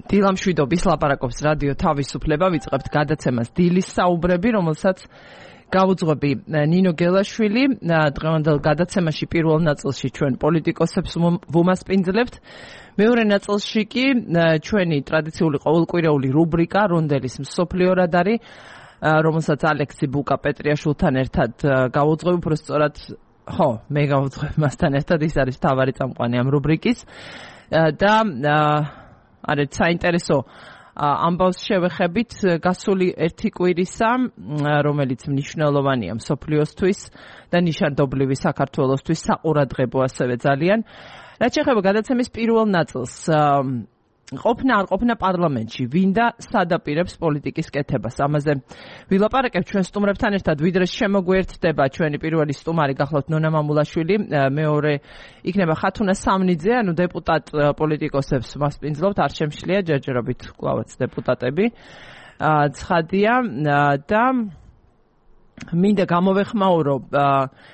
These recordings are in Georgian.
დილამშვიდობის ლაპარაკობს რადიო თავისუფლება, ვიწყებთ გადაცემას დილის საუბრები, რომელსაც გავუძღვები ნინო გელაშვილი. დღევანდელ გადაცემაში პირველ ნაწილში ჩვენ პოლიტიკოსებს ვუმასპინძლებთ. მეორე ნაწილში კი ჩვენი ტრადიციული ყოველკვირეული რუბრიკა რონდელის მსოფლიო რადარი, რომელსაც ალექსი ბუკა პეტრიაშვილთან ერთად გავუძღვებ, უბრალოდ მე გავუძღვებ მასთან ერთად, ის არის მთავარი წამყვანი ამ რუბრიკის და არეთ საინტერესო ამბავს შევეხებით გასული ერთი კვირისა, რომელიც მნიშვნელოვანია მსოფლიოსთვის და ნიშანდობლივი საქართველოსთვის, საყურადღებო ასევე ძალიან. რაც შეეხება გადაცემის პირველ ნაწილს, ყოფნა არ ყოფნა პარლამენტში, ვინ და სად აპირებს პოლიტიკის კეთებას. ამაზე ვილაპარაკებ ჩვენ სტუმრებთან ერთად, ვიდრე შემოგვერთდება ჩვენი პირველი სტუმარი გახლავთ ნონა მამულაშვილი, მეორე იქნება ხათუნა სამნიძე, ანუ დეპუტატ პოლიტიკოსებს მასპინძლობთ, არ შემშლია ჯერჯერობით კვლავაც დეპუტატები. ცხადია და მინდა გამოვეხმაურო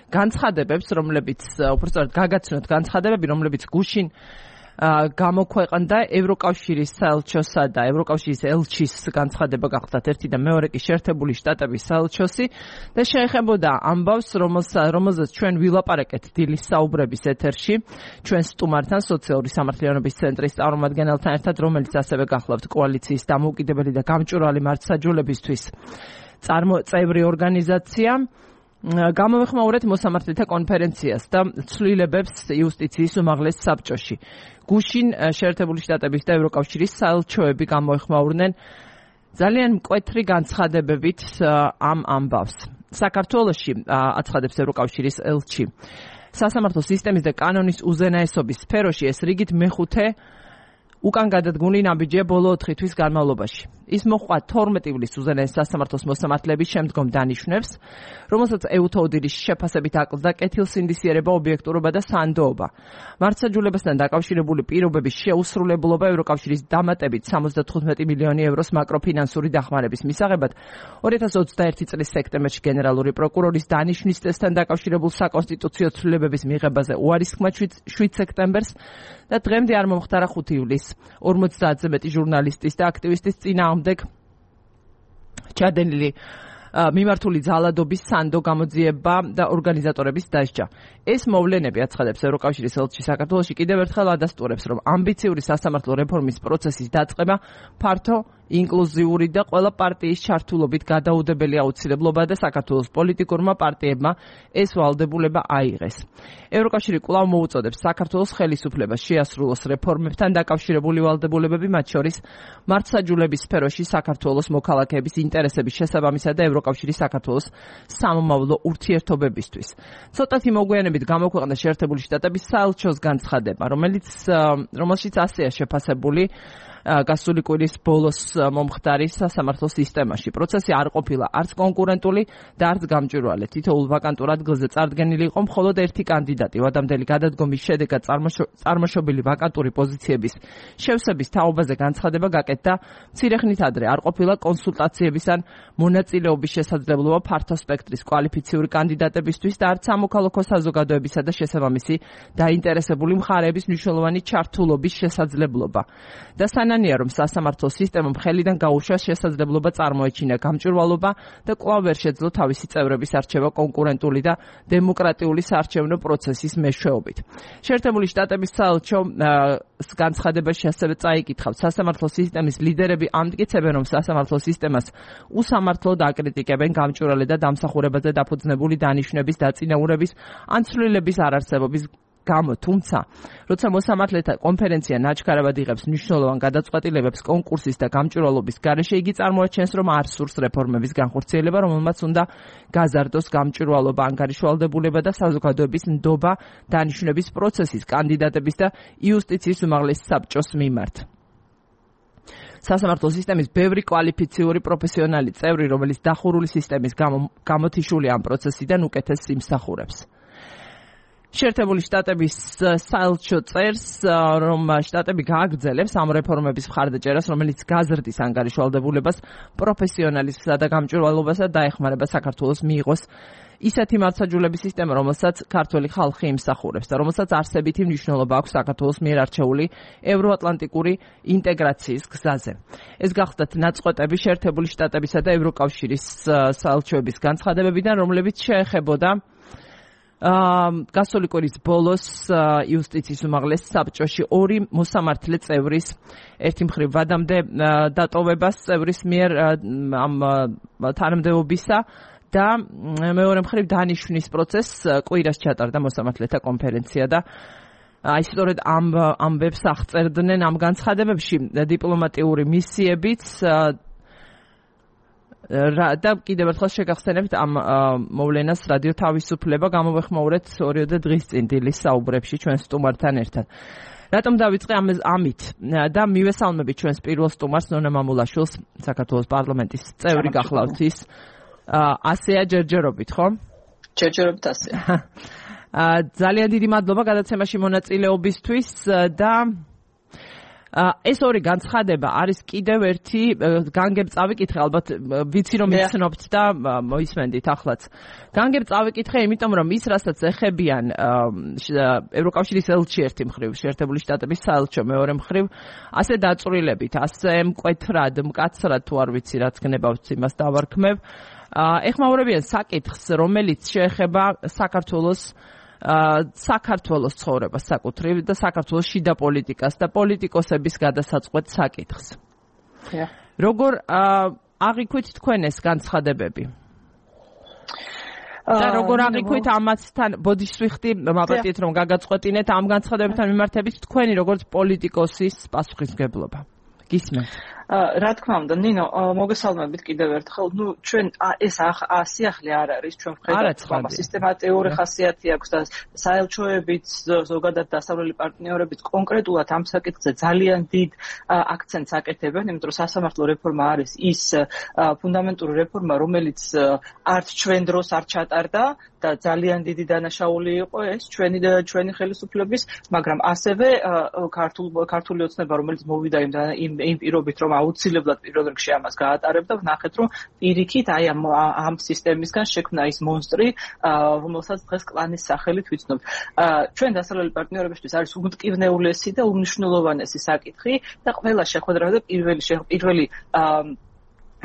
განცხადებებს, რომლებიც უბრალოდ გაგაცნოთ განცხადებები, რომლებიც გუშინ გამოქვეყნდა ევროკავშირის საელჩოსა და ევროკავშირის ელჩის განცხადება გახლავთ ერთი და მეორე კი შეერთებული შტატების საელჩოსი და შეეხებოდა ამბავს, რომელზეც ჩვენ ვილაპარაკეთ დილის საუბრების ეთერში ჩვენ სტუმართან, სოციალური სამართლიანობის ცენტრის წარმომადგენელთან ერთად, რომელიც ასევე გახლავთ კოალიციის დამოუკიდებელი და გამჭვირვალე მართლმსაჯულებისთვის წევრი ორგანიზაცია. გამოვეხმაურეთ მოსამართლეთა კონფერენციას და ცვლილებებს იუსტიციის უმაღლეს საბჭოში. გუშინ შეერთებული შტატების და ევროკავშირის საელჩოები გამოეხმაურნენ ძალიან მკვეთრი განცხადებებით ამ ამბავს. საქართველოში, აცხადებს ევროკავშირის ელჩი, სასამართლო სისტემის და კანონის უზენაესობის სფეროში ეს რიგით მეხუთე უკან გადადგმული ნაბიჯია ბოლო 4 თვის განმავლობაში. ის მოჰყვა 12 ივლის უზენაეს სასამართლოს მოსამართლეების შემდგომ დანიშვნებს, რომელსაც ეუთოუდილის შეფასებით აკლდა კეთილსინდისიერება, ობიექტურობა და სანდოობა. მართლმსაჯულებასთან დაკავშირებული პირობების შეუსრულებლობა ევროკავშირის დამატებით 75 მილიონი ევროს მაკროფინანსური დახმარების მისაღებად 2021 წლის სექტემბერში გენერალური პროკურორის დანიშვნის წესთან დაკავშირებულ საკონსტიტუციო ცვლილებების მიღებაზე უარისქმა 7 სექტემბერს და დღემდე არ მომხდარა 5 ივლისს. 50-ზე მეტი ჟურნალისტის და აქტივისტის წინააღმდეგ ჩადენილი მიმართული ძალადობის სანდო გამოძიება და ორგანიზატორების დასჯა. ეს მოვლენები, აცხადებს ევროკავშირის ელჩი საქართველოში, კიდევ ერთხელ ადასტურებს, რომ ამბიციური სასამართლო რეფორმის პროცესის დაწყება ფართო, ინკლუზიური და ყველა პარტიის ჩართულობით გადაუდებელი აუცილებლობა და საქართველოს პოლიტიკურმა პარტიებმა ეს ვალდებულება აიღეს. ევროკავშირი კვლავ მოუწოდებს საქართველოს ხელისუფლებას შეასრულოს რეფორმებთან დაკავშირებული ვალდებულებები, მათ შორის მართლმსაჯულების სფეროში საქართველოს მოქალაქეების ინტერესების შესაბამისა და ევროკავშირის საქართველოს სამომავლო ურთიერთობებისთვის. ცოტათი მოგვიანებით გამოქვეყნდა შეერთებული შტატების საელჩოს განცხადება, რომელშიც ასეა შეფასებული გასული კვირის ბოლოს მომხდარი სასამართლო სისტემაში. პროცესი არ ყოფილა არც კონკურენტული და არც გამჭვირვალე. თითოეულ ვაკანტურ ადგილზე წარდგენილი იყო მხოლოდ ერთი კანდიდატი. ვადამდელი გადადგომის შედეგად წარმოშობილი ვაკანტური პოზიციების შევსების თაობაზე განცხადება გაკეთდა მცირე ხნით ადრე. არ ყოფილა კონსულტაციების ან მონაწილეობის შესაძლებლობა ფართო სპექტრის კვალიფიციური კანდიდატებისთვის და არც სამოქალაქო საზოგადოებისა და შესაბამისი დაინტერესებული მხარეების მნიშვნელოვანი ჩართულობის შესაძლებლობა. და სანანია, რომ სასამართლო სისტემამ ხელიდან გაუშვა შესაძლებლობა წარმოეჩინა გამჭვირვალობა და კვლავ ვერ შეძლო თავისი წევრების არჩევა კონკურენტული და დემოკრატიული საარჩევნო პროცესის მეშვეობით. შეერთებული შტატების საელჩომ განცხადებაში ასევე წაიკითხავთ, სასამართლო სისტემის ლიდერები ამტკიცებენ, რომ სასამართლო სისტემას უსამართლოდ აკრიტიკებენ გამჭვირვალე და დამსახურებაზე დაფუძნებული დანიშვნების დაწინაურების ან ცვლილების არარსებობის გამო, თუმცა, როცა მოსამართლეთა კონფერენცია ნაჩქარებად იღებს მნიშვნელოვან გადაწყვეტილებებს კონკურსის და გამჭვირვალობის გარეშე, იგი წარმოაჩენს, რომ არ სურს რეფორმების განხორციელება, რომელმაც უნდა გაზარდოს გამჭვირვალობა, ანგარიშვალდებულება და საზოგადოების ნდობა დანიშვნების პროცესის, კანდიდატების და იუსტიციის უმაღლეს საბჭოს მიმართ. სასამართლო სისტემის ბევრი კვალიფიციური პროფესიონალი წევრი, რომელიც დახურული სისტემის გამო გამოთიშული ამ პროცესიდან უკეთესს იმსახურებს. შეერთებული შტატების საელჩო წერს, რომ შტატები გააგრძელებს ამ რეფორმების მხარდაჭერას, რომელიც გაზრდის ანგარიშვალდებულებას, პროფესიონალიზმსა და გამჭვირვალობასა დაეხმარება საქართველოს მიიღოს ისეთი მართლმსაჯულების სისტემა, რომელსაც ქართველი ხალხი იმსახურებს და რომელსაც არსებითი მნიშვნელობა აქვს საქართველოს მიერ არჩეული ევროატლანტიკური ინტეგრაციის გზაზე. ეს გახლდათ ნაწყვეტები შეერთებული შტატებისა და ევროკავშირის საელჩოების განცხადებებიდან, რომლებიც შეეხებოდა გასული კვირის ბოლოს იუსტიციის უმაღლეს საბჭოში ორი მოსამართლე წევრის ერთი მხრივ ვადამდე დატოვებას წევრის მიერ ამ თანამდებობისა და მეორე მხრივ დანიშვნის პროცესს კვირას ჩატარდა მოსამართლეთა კონფერენცია და აი სწორედ ამ ვებს აღწერდნენ ამ განცხადებებში დიპლომატიური მისიებიც და კიდევ ერთხელ შეგახსენებთ ამ მოვლენას რადიო თავისუფლება გამოვეხმაურეთ ორიოდე დღის წინ დილის საუბრებში ჩვენ სტუმართან ერთად. რატომ დავიწყე ამით და მივესალმებით ჩვენს პირველ სტუმარს ნონა მამულაშვილს, საქართველოს პარლამენტის წევრი გახლავთ ის. ასეა ჯერჯერობით, ხო? ჯერჯერობით ასეა. ძალიან დიდი მადლობა გადაცემაში მონაწილეობისთვის და ეს ორი განცხადება არის კიდევ ერთი განგებ წავიკითხე, ალბათ ვიცი რომ იცნობთ და მოისმენდით ახლაც. განგებ წავიკითხე, იმიტომ რომ ის რასაც ეხებიან ევროკავშირის ელჩი ერთი მხრივ, შეერთებული შტატების საელჩო მეორე მხრივ, ასე დაწვრილებით, ასე მკვეთრად, მკაცრად თუ არ ვიცი რაც გნებავთ იმას დავარქმევ. ეხმაურებიან საკითხს, რომელიც შეეხება საქართველოს ცხოვრებას საკუთრივ და საქართველოს შიდა პოლიტიკას და პოლიტიკოსების გადასაწყვეტ საკითხს. როგორ აღიქვით თქვენ ეს განცხადებები? და როგორ აღიქვით ამათთან ბოდიშსვიხტი მაპატიეთ რომ გაგაწყვეტინეთ ამ განცხადებებთან მიმართებით თქვენი როგორც პოლიტიკოსის პასუხისმგებლობა? გისმენთ? რა თქმა უნდა, ნინო, მოგესალმებით კიდევ ერთხელ. ჩვენ ეს სიახლე არ არის, ჩვენ ვხედავთ, რომ სისტემატიური ხასიათი აქვს და საელჩოებიც, ზოგადად დასავლელი პარტნიორებიც კონკრეტულად ამ საკითხზე ძალიან დიდ აქცენტს აკეთებენ, იმიტომ რომ სასამართლო რეფორმა არის ის ფუნდამენტური რეფორმა, რომელიც არც ჩვენ დროს არ ჩატარდა და ძალიან დიდი დანაშაული იყო ეს ჩვენი ხელისუფლების, მაგრამ ასევე ქართული ოცნება, რომელიც მოვიდა იმ პირობით, რომ აუცილებლად პირველ რიგში ამას გაატარებდა, ვნახეთ, რომ პირიქით აი ამ სისტემისგან შექმნა ის მონსტრი, რომელსაც დღეს კლანის სახელით ვიცნობთ. ჩვენ დასავლელი პარტნიორებისთვის არის უმტკივნეულესი და უმნიშვნელოვანესი საკითხი და ყველა შეხვედრაზე პირველი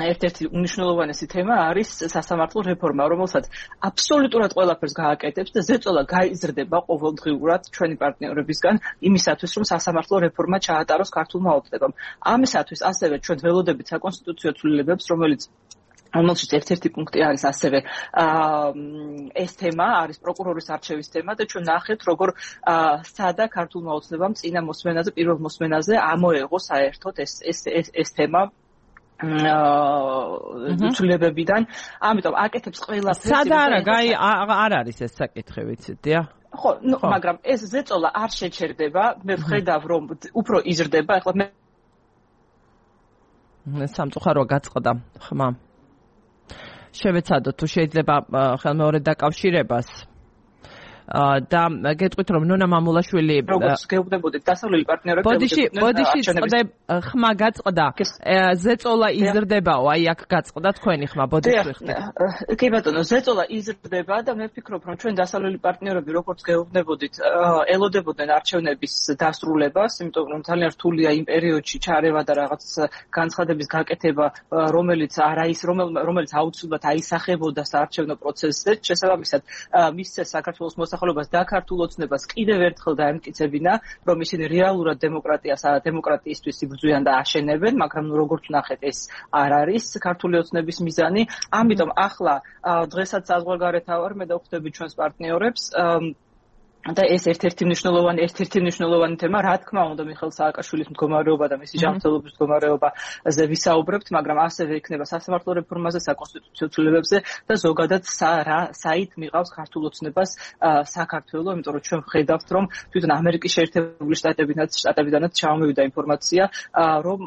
ერთ-ერთი უმნიშვნელოვანესი თემა არის სასამართლო რეფორმა, რომელსაც აბსოლუტურად ყველაფერს გააკეთებს და ზეწოლა გაიზრდება ყოველდღიურად ჩვენი პარტნიორებისგან იმისათვის, რომ სასამართლო რეფორმა ჩაატაროს ქართულმა ოცნებამ. ამისათვის ასევე ჩვენ ველოდებით საკონსტიტუციო ცვლილებებს, რომელშიც ერთ-ერთი პუნქტი არის ასევე ეს თემა, არის პროკურორის არჩევის თემა და ჩვენ ნახეთ, როგორ სცადა ქართულმა ოცნებამ წინა მოსმენაზე, პირველ მოსმენაზე ამოეღო საერთოდ ეს თემა ცვლილებებიდან, ამიტომ აკეთებს ყველაფერს. სადა არ არის ეს საკითხი, ვიცით, დიახ? ხო, მაგრამ ეს ზეწოლა არ შეჩერდება, მე ვხედავ, რომ უფრო იზრდება, ეხლა მე სამწუხაროა გაწყდა ხმა. შევეცადოთ თუ შეიძლება ხელმეორედ დაკავშირებას. და გეტყვით რომ ნონა მამულაშვილი როგორც გეუბნებოდით დასავლელი პარტნიორები ბოდიში ხმა გაწყდა ზეწოლა იზრდებაო აი აქ გაწყდა თქვენი ხმა ბოდიში კი ბატონო ზეწოლა იზრდება და მე ვფიქრობ რომ ჩვენ დასავლელი პარტნიორები როგორც გეუბნებოდით ელოდებოდნენ არჩევნების დასრულებას იმიტომ რომ ძალიან რთულია იმ პერიოდში ჩარევა და რაღაც განცხადების გაკეთება რომელიც აუცილებლად აისახებოდა საარჩევნო პროცესზე შესაბამისად მისცეს საქართველოს ხოლობას და ქართულ ოცნებას კიდევ ერთხელ დაემტკიცებინა, რომ ისინი რეალურად დემოკრატიისთვის იბრძვიან და აშენებენ, მაგრამ როგორც ნახეთ, ეს არ არის ქართული ოცნების მიზანი. ამიტომ ახლა დღესაც საზღვარგარეთ ავარ, მე დავხვდები ჩვენს პარტნიორებს და ეს ერთ-ერთი მნიშვნელოვანი თემა, რა თქმა უნდა, მიხეილ სააკაშვილის მდგომარეობა და მისი ჯანმრთელობის მდგომარეობაზე ვისაუბრებთ, მაგრამ ასევე იქნება სასამართლო რეფორმაზე, საკონსტიტუციო ცვლილებებზე და ზოგადად საით მიყავს ქართულ ოცნებას საქართველო, იმიტომ რომ ჩვენ ვხედავთ, რომ თვითონ ამერიკის შეერთებული შტატებიდანაც ჩამოვიდა ინფორმაცია, რომ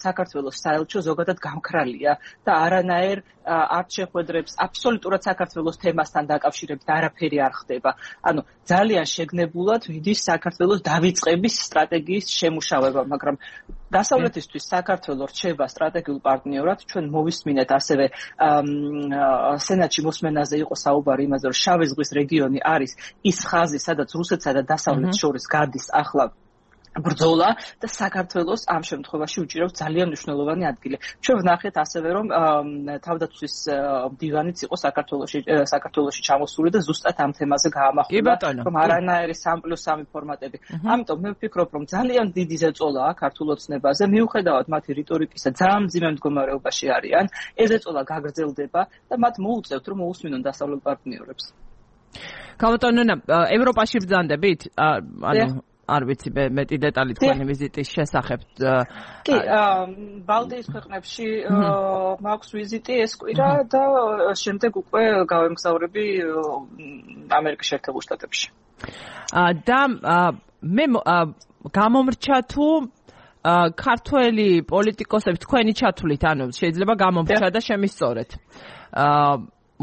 საქართველოს საელჩო ზოგადად გამქრალია და არანაირ არ შეხვედრებს აბსოლუტურად საქართველოს თემასთან დაკავშირებით არაფერი არ ხდება. ანუ ძალიან შეგნებულად მიდის საქართველოს დავიწყების სტრატეგიის შემუშავება, მაგრამ დასავლეთისთვის საქართველო რჩება სტრატეგიულ პარტნიორად. ჩვენ მოვისმინეთ ასევე სენატში მოსმენაზე იყო საუბარი იმაზე, რომ შავი ზღვის რეგიონი არის ის ხაზი, სადაც რუსეთსა და დასავლეთს შორის გადის ახლა ბრძოლა და საქართველოს ამ შემთხვევაში უჭირავს ძალიან მნიშვნელოვანი ადგილი. ჩვენ ვნახეთ ასევე, რომ თავდაცვის დივანიც იყო საქართველოში ჩამოსული და ზუსტად ამ თემაზე გაამახვილა, რომ არანაირი 3+3 ფორმატები. ამიტომ მე ვფიქრობ, რომ ძალიან დიდი ზეწოლაა ქართულ ოცნებაზე, მიუხედავად მათი რიტორიკისა, ძალიან მძიმე მდგომარეობაში არიან. ეს ზეწოლა გაგრძელდება და მათ მოუწევთ, რომ მოусმინონ დასავლელ პარტნიორებს. ქალბატონო, ევროპაში ბრძანდებით? არ ვიცი მეტი დეტალი თქვენი ვიზიტის შესახებ. კი, ბალტიის ქვეყნებში მაქვს ვიზიტი ეს კვირა და შემდეგ უკვე გავემგზავრები ამერიკის შეერთებულ შტატებში. და მე გამომრჩა თუ ქართველი პოლიტიკოსები თქვენი ჩათვლით, ანუ შეიძლება გამომრჩა და შემისწორეთ.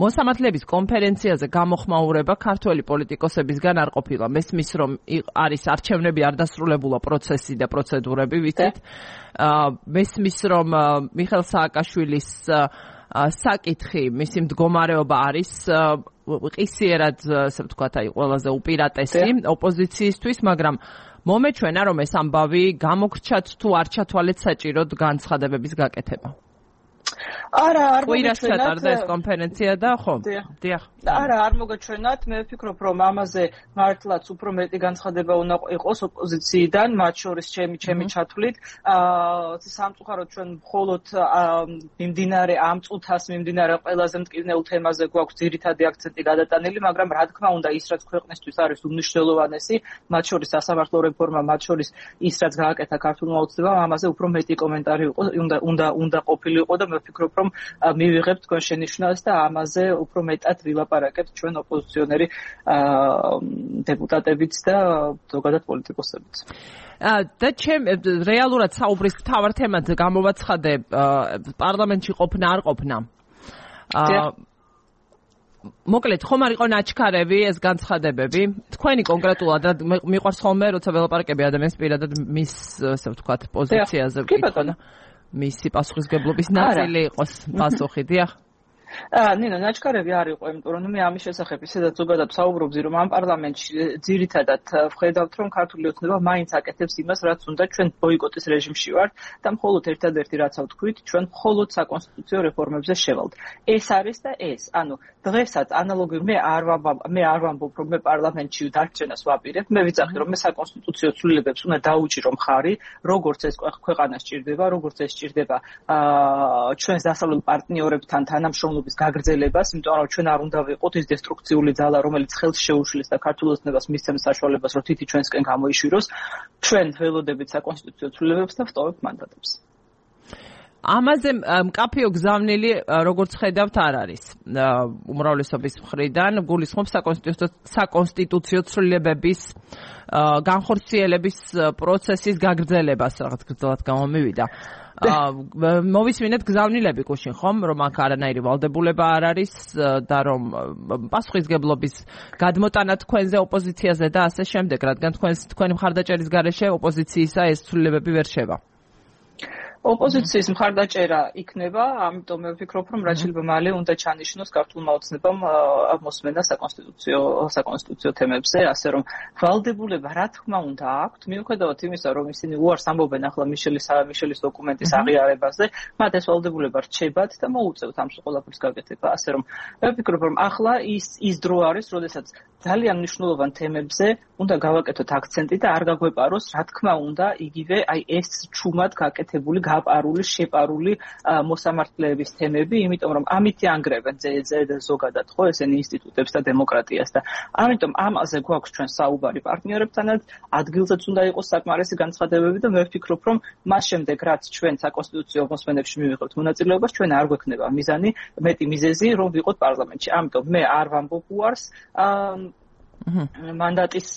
მოსამართლეების კონფერენციაზე გამოხმაურება ქართველი პოლიტიკოსებისგან არ ყოფილა. მესმის, რომ არის არჩევნები არ დასრულებულა პროცესი და პროცედურები, ვიცით. მესმის, რომ მიხეილ სააკაშვილის საკითხი, მისი მდგომარეობა არის ყისიერად, ასე ვთქვათ, ყველაზე უპირატესი ოპოზიციისთვის, მაგრამ მომეჩვენა, რომ ეს ამბავი გამოგრჩათ თუ არ ჩათვალეთ საჭიროდ განცხადებების გაკეთება. არა, არ მოგეჩვენათ ეს კონფერენცია და ხო? დიახ. არა, არ მოგეჩვენათ. მე ვფიქრობ, რომ ამაზე მართლაც უფრო მეტი განცხადება უნდა იყოს ოპოზიციიდან, მათ შორის ჩემი ჩათვლით. სამწუხაროდ ჩვენ მხოლოდ მიმდინარე ამ წუთას მიმდინარე ყველაზე მტკივნეულ თემაზე გვაქვს ძირითადი აქცენტი გადატანილი, მაგრამ რა თქმა უნდა, ის რაც ქვეყნისთვის არის უმნიშვნელოვანესი, მათ შორის სასამართლო რეფორმა, მათ შორის ის რაც გააკეთა ქართულმა ოცნებამ, ამაზე უფრო მეტი კომენტარი უნდა ყოფილიყო და მე ვფიქრობ, რომ მივიღებთ თქვენ შენიშვნას და ამაზე უფრო მეტად ვილაპარაკებთ ჩვენ ოპოზიციონერი დეპუტატებიც და ზოგადად პოლიტიკოსებიც. და რეალურად საუბრის მთავარ თემად გამოვაცხადე პარლამენტში ყოფნა არ ყოფნა. მოკლედ, ხომ არ იყო ნაჩქარები ეს განცხადებები? თქვენი კონკრეტულად მიყვარს ხოლმე, როცა ველაპარაკები ადამიანს პირადად მის, ასე ვთქვათ, პოზიციაზე ვკითხო. მისი პასუხისგებლობის ნაწილი იყოს პასუხი, დიახ. ნინო, ნაჩქარები არ იყო, იმიტომ რომ მე ამის შესახებ ისედაც ზოგადად საუბრობდი, რომ ამ პარლამენტში ძირითადად ვხედავთ, რომ ქართული ოცნება მაინც აკეთებს იმას, რაც უნდა. ჩვენ ბოიკოტის რეჟიმში ვართ და მხოლოდ ერთადერთი რაც ვთქვით, ჩვენ მხოლოდ საკონსტიტუციო რეფორმებზე შევალთ. ეს არის და ეს. ანუ დღესაც ანალოგიურად მე არ ვამბობ, რომ მე პარლამენტში დარჩენას ვაპირებ. მე ვიცახი, რომ მე საკონსტიტუციო ცვლილებებს უნდა დაუჭირო მხარი, როგორც ეს ქვეყანას ჭირდება, როგორც ეს ჭირდება ჩვენს დასავლელ პარტნიორებთან თანამშრომლობის გაგრძელებას, იმიტომ რომ ჩვენ არ უნდა ვიყოთ ის დესტრუქციული ძალა, რომელიც ხელს შეუშლის და ქართულ ოცნებას მისცემს საშუალებას, რომ თითი ჩვენსკენ გამოიშვიროს. ჩვენ ველოდებით საკონსტიტუციო ცვლილებებს და ვტოვებთ მანდატებს. ამაზე მკაფიო გზავნილი, როგორც ხედავთ, არ არის. უმრავლესობის მხრიდან გულისხმობს საკონსტიტუციო ცვლილებების განხორციელების პროცესის გაგრძელებას, რაღაც გრძელად გამომივიდა. მოვისმინეთ გზავნილები გუშინ, ხომ, რომ აქ არანაირი ვალდებულება არ არის და რომ პასუხისგებლობის გადმოტანა თქვენზე ოპოზიციაზე და ასე შემდეგ, რადგან თქვენი მხარდაჭერის გარეშე ოპოზიციისა ეს ცვლილებები ვერ შევა. ოპოზიციის მხარდაჭერა იქნება, ამიტომ მე ვფიქრობ, რომ რაც შეიძლება მალე უნდა ჩანიშნოს ქართულმა ოცნებამ მოსმენა საკონსტიტუციო თემებზე, ასე რომ ვალდებულება რა თქმა უნდა აქვთ, მიუხედავად იმისა, რომ ისინი უარს ამბობენ ახლა მიშელის დოკუმენტის აღიარებაზე, მათ ეს ვალდებულება რჩებათ და მოუწევთ ამ ყველაფრის გაკეთება, ასე რომ მე ვფიქრობ, რომ ახლა ის დრო არის, როდესაც ძალიან მნიშვნელოვან თემებზე უნდა გავაკეთოთ აქცენტი და არ გაგვეპაროს, რა თქმა უნდა, იგივე აი ეს ჩუმად გაკეთებული გაპარული, შეპარული მოსამართლეების თემები, იმიტომ რომ ამით ანგრევენ ზოგადად ხო ესენი ინსტიტუტებს და დემოკრატიას და ამიტომ ამაზე გვაქვს ჩვენ საუბარი პარტნიორებთანაც, ადგილზეც უნდა იყოს საკმარისი განცხადებები და მე ვფიქრობ, რომ მას შემდეგ რაც ჩვენ საკონსტიტუციო მოსმენებში მივიღებთ მონაწილეობას, ჩვენ არ გვექნება მიზანი, მეტი მიზეზი, რომ ვიყოთ პარლამენტში. ამიტომ მე არ ვამბობ უარს მანდატის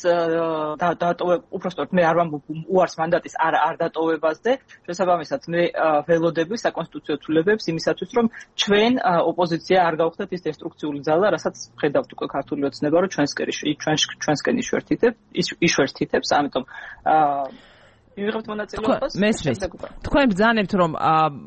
უпростоრ მე არ ვამბობ უარს მანდატის არ დატოვებაზე, შესაბამისად მე ველოდები საკონსტიტუციო ცვლილებებს იმისათვის, რომ ჩვენ ოპოზიცია არ გავხდეთ ის დესტრუქციული ძალა, რასაც ხედავთ უკვე ქართული ოცნება, რომ ჩვენსკენ იშვერთითებს, ამიტომ მივიღებთ მონაწილეობას. მესმის. თქვენ ბრძანებთ, რომ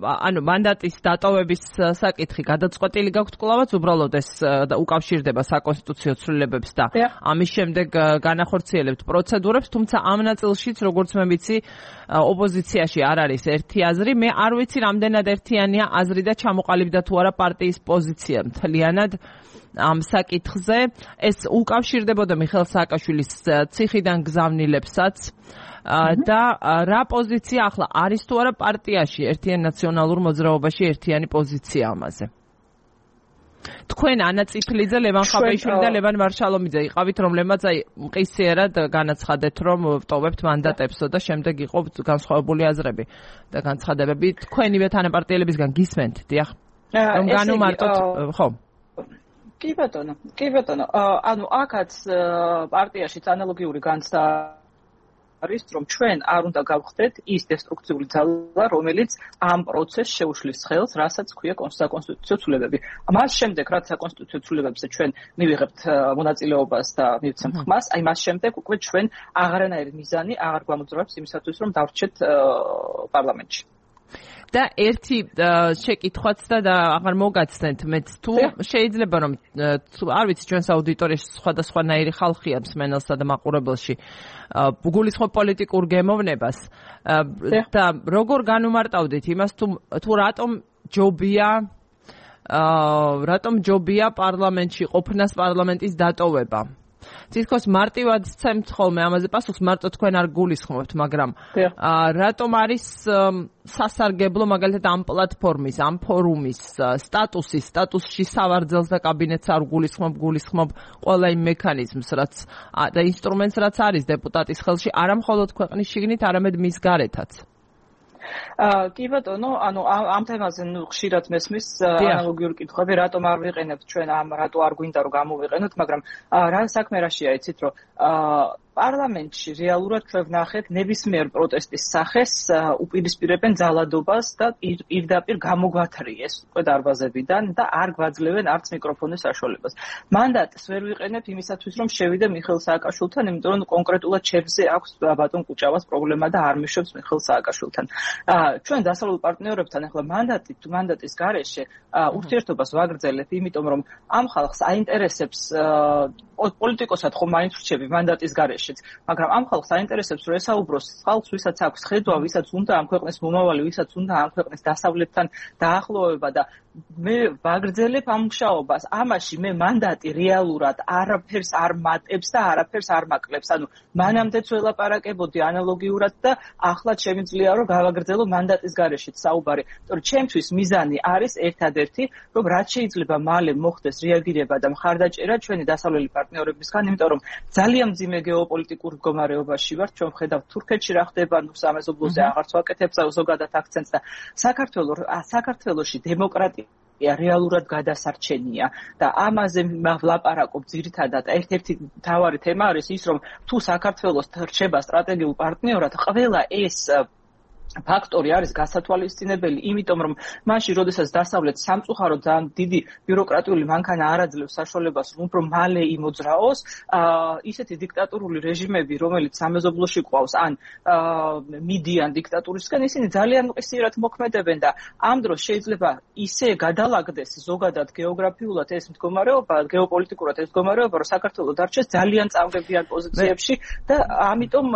ანუ მანდატის დატოვების საკითხი გადაწყვეტილი გაქვთ კლავაც, უბრალოდ ეს უკავშირდება საკონსტიტუციო ცვლილებებს და ამის შემდეგ განახორციელებთ პროცედურებს, თუმცა ამ ნაწილშიც, როგორც მე ვიცი, ოპოზიციაში არ არის ერთი აზრი. მე არ ვიცი, რამდენად ერთიანია აზრი და ჩამოყალიბდა თუ არა პარტიის პოზიცია მთლიანად ამ საკითხზე. ეს უკავშირდებოდა მიხეილ სააკაშვილის ციხიდან გზავნილებსაც და რა პოზიცია ახლა არის თუ არა პარტიაში ერთიან ნაციონალურ მოძრაობაში ერთიანი პოზიცია ამაზე. თქვენ ანა წიფლიძე, ლევან ხაბეიშვილი და ლევან მარშალომიძე იყავით, რომლებმაც აი მყისიერად განაცხადეთ, რომ ვტოვებთ მანდატებსო და შემდეგ იყო განსხვავებული აზრები და განცხადებები. თქვენივე თანაპარტიელებისგან გისმენთ, დიახ? რომ განუმარტოთ, ხო? კი ბატონო. ანუ აქაც პარტიაშიც ანალოგიური განცდა არის, რომ ჩვენ არ უნდა გავხდეთ ის დესტრუქციული ძალა, რომელიც ამ პროცესს შეუშლის ხელს, რასაც ქვია საკონსტიტუციო ცვლილებები. მას შემდეგ, რაც საკონსტიტუციო ცვლილებებზე ჩვენ მივიღებთ მონაწილეობას და მივცემთ ხმას, აი მას შემდეგ უკვე ჩვენ აღარანაირი მიზანი აღარ გვამოძრავებს იმისათვის, რომ დავრჩეთ პარლამენტში. და ერთი შეკითხვაც და აღარ მოგაცნეთ მეც თუ შეიძლება რომ არ ვიცი ჩვენს აუდიტორიაში სხვადასხვანაირი ხალხია მსმენელსა და მაყურებელში გულისხმობ პოლიტიკურ გემოვნებას და როგორ განუმარტავდით იმას თუ რატომ ჯობია პარლამენტში ყოფნას პარლამენტის დატოვება თითქოს მარტივად ცემთ ხოლმე ამაზე პასუხს მარტო თქვენ არ გულისხმობთ მაგრამ რატომ არის სასარგებლო მაგალითად ამ პლატფორმის ამ ფორუმის სტატუსში სავარძელს და კაბინეტს არ გულისხმობ ყველა იმ მექანიზმს რაც და ინსტრუმენტს რაც არის დეპუტატის ხელში არა მხოლოდ ქვეყნის შიგნით არამედ მის გარეთაც კი ბატონო, ანუ ამ თემაზე ხშირად მესმის ანალოგიური კითხვები, რატომ არ ვიყენებთ ჩვენ რატო არ გვინდა რომ გამოვიყენოთ, მაგრამ რა საქმე რაშია იცით, რომ პარლამენტში რეალურად ჩვენ ვნახეთ ნებისმიერ პროტესტის სახეს უპირისპირებენ ძალადობას და პირდაპირ გამოგვათრიეს უკვე დარბაზებიდან და არ გვაძლევენ არც მიკროფონის საშუალებას. მანდატს ვერ ვიყენებთ იმისათვის, რომ შევიდე მიხეილ სააკაშვილთან, იმიტომ რომ კონკრეტულად ჩემზე აქვს ბატონ კუჭავას პრობლემა და არ მიშვებს მიხეილ სააკაშვილთან. ჩვენ დასავლურ პარტნიორებთან ახლა მანდატის გარეშე ურთიერთობას ვაგრძელებ, იმიტომ რომ ამ ხალხს აინტერესებს პოლიტიკოსად ხომ მაინც რჩები მანდატის გარეშეც, მაგრამ ამ ხალხს აინტერესებს რომ ესაუბროს ხალხს, ვისაც აქვს ხედვა, ვისაც უნდა ამ ქვეყნის მომავალი, ვისაც უნდა ამ ქვეყნის დასავლეთთან დაახლოვება და მე ვაგრძელებ ამ მუშაობას. ამაში მე მანდატი რეალურად არაფერს არ მატებს და არაფერს არ მაკლებს. ანუ მანამდეც ველაპარაკებოდი ანალოგიურად და ახლა შემიძლია რომ გავაგრძელო მანდატის გარეშეც საუბარი. იმიტომ რომ ჩემთვის მიზანი არის ერთადერთი, რომ რაც შეიძლება მალე მოხდეს რეაგირება და მხარდაჭერა ჩვენი დასავლელი პარტნიორებისგან, იმიტომ რომ ძალიან მძიმე გეოპოლიტიკურ მდგომარეობაში ვართ. ჩვენ ვხედავთ თურქეთში რა ხდება, სამეზობლოზე აღარც ვაკეთებ ზოგადად აქცენტს და საქართველოში დემოკრატია რეალურად გადასარჩენია და ამაზე ვლაპარაკობ ძირითადად ერთ-ერთი მთავარი თემა არის ის რომ თუ საქართველოს რჩება სტრატეგიულ პარტნიორად ყველა ეს ფაქტორი არის გასათვალისწინებელი, იმიტომ რომ მაშინ, როდესაც დასავლეთ სამწუხაროდ ძალიან დიდი ბიუროკრატიული მანქანა არ აძლევს საშუალებას, რომ უფრო მალე იმოძრაოს, ისეთი დიქტატურული რეჟიმები, რომელიც სამეზობლოში ყავს, ან მიდიან დიქტატურისგან, ისინი ძალიან მყისიერად მოქმედებენ და ამ დროს შეიძლება ისე გადალაგდეს ზოგადად გეოგრაფიულად ეს მდგომარეობა, გეოპოლიტიკურად ეს მდგომარეობა, რომ საქართველო დარჩეს ძალიან წამგებიან პოზიციებში და ამიტომ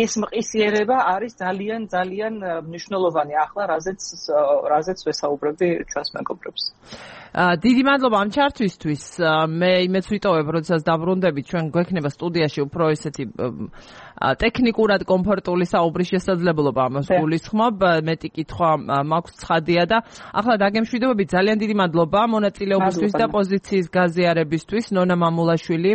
ეს მყისიერება არის ძალიან მნიშვნელოვანი ახლა, რაზეც ვესაუბრები ჩვენს მეგობრებს. დიდი მადლობა ამ ჩართვისთვის. მე იმეც ვიტოვებ, როდესაც დაბრუნდებით, ჩვენ გვექნება სტუდიაში უფრო ესეთი ტექნიკურად კომფორტული საუბრის შესაძლებლობა ამას გულისხმობ. მეტი კითხვა მაქვს ცხადია და ახლა დაგემშვიდობებით. ძალიან დიდი მადლობა მონაწილეობისთვის და პოზიციის გაზიარებისთვის. ნონა მამულაშვილი,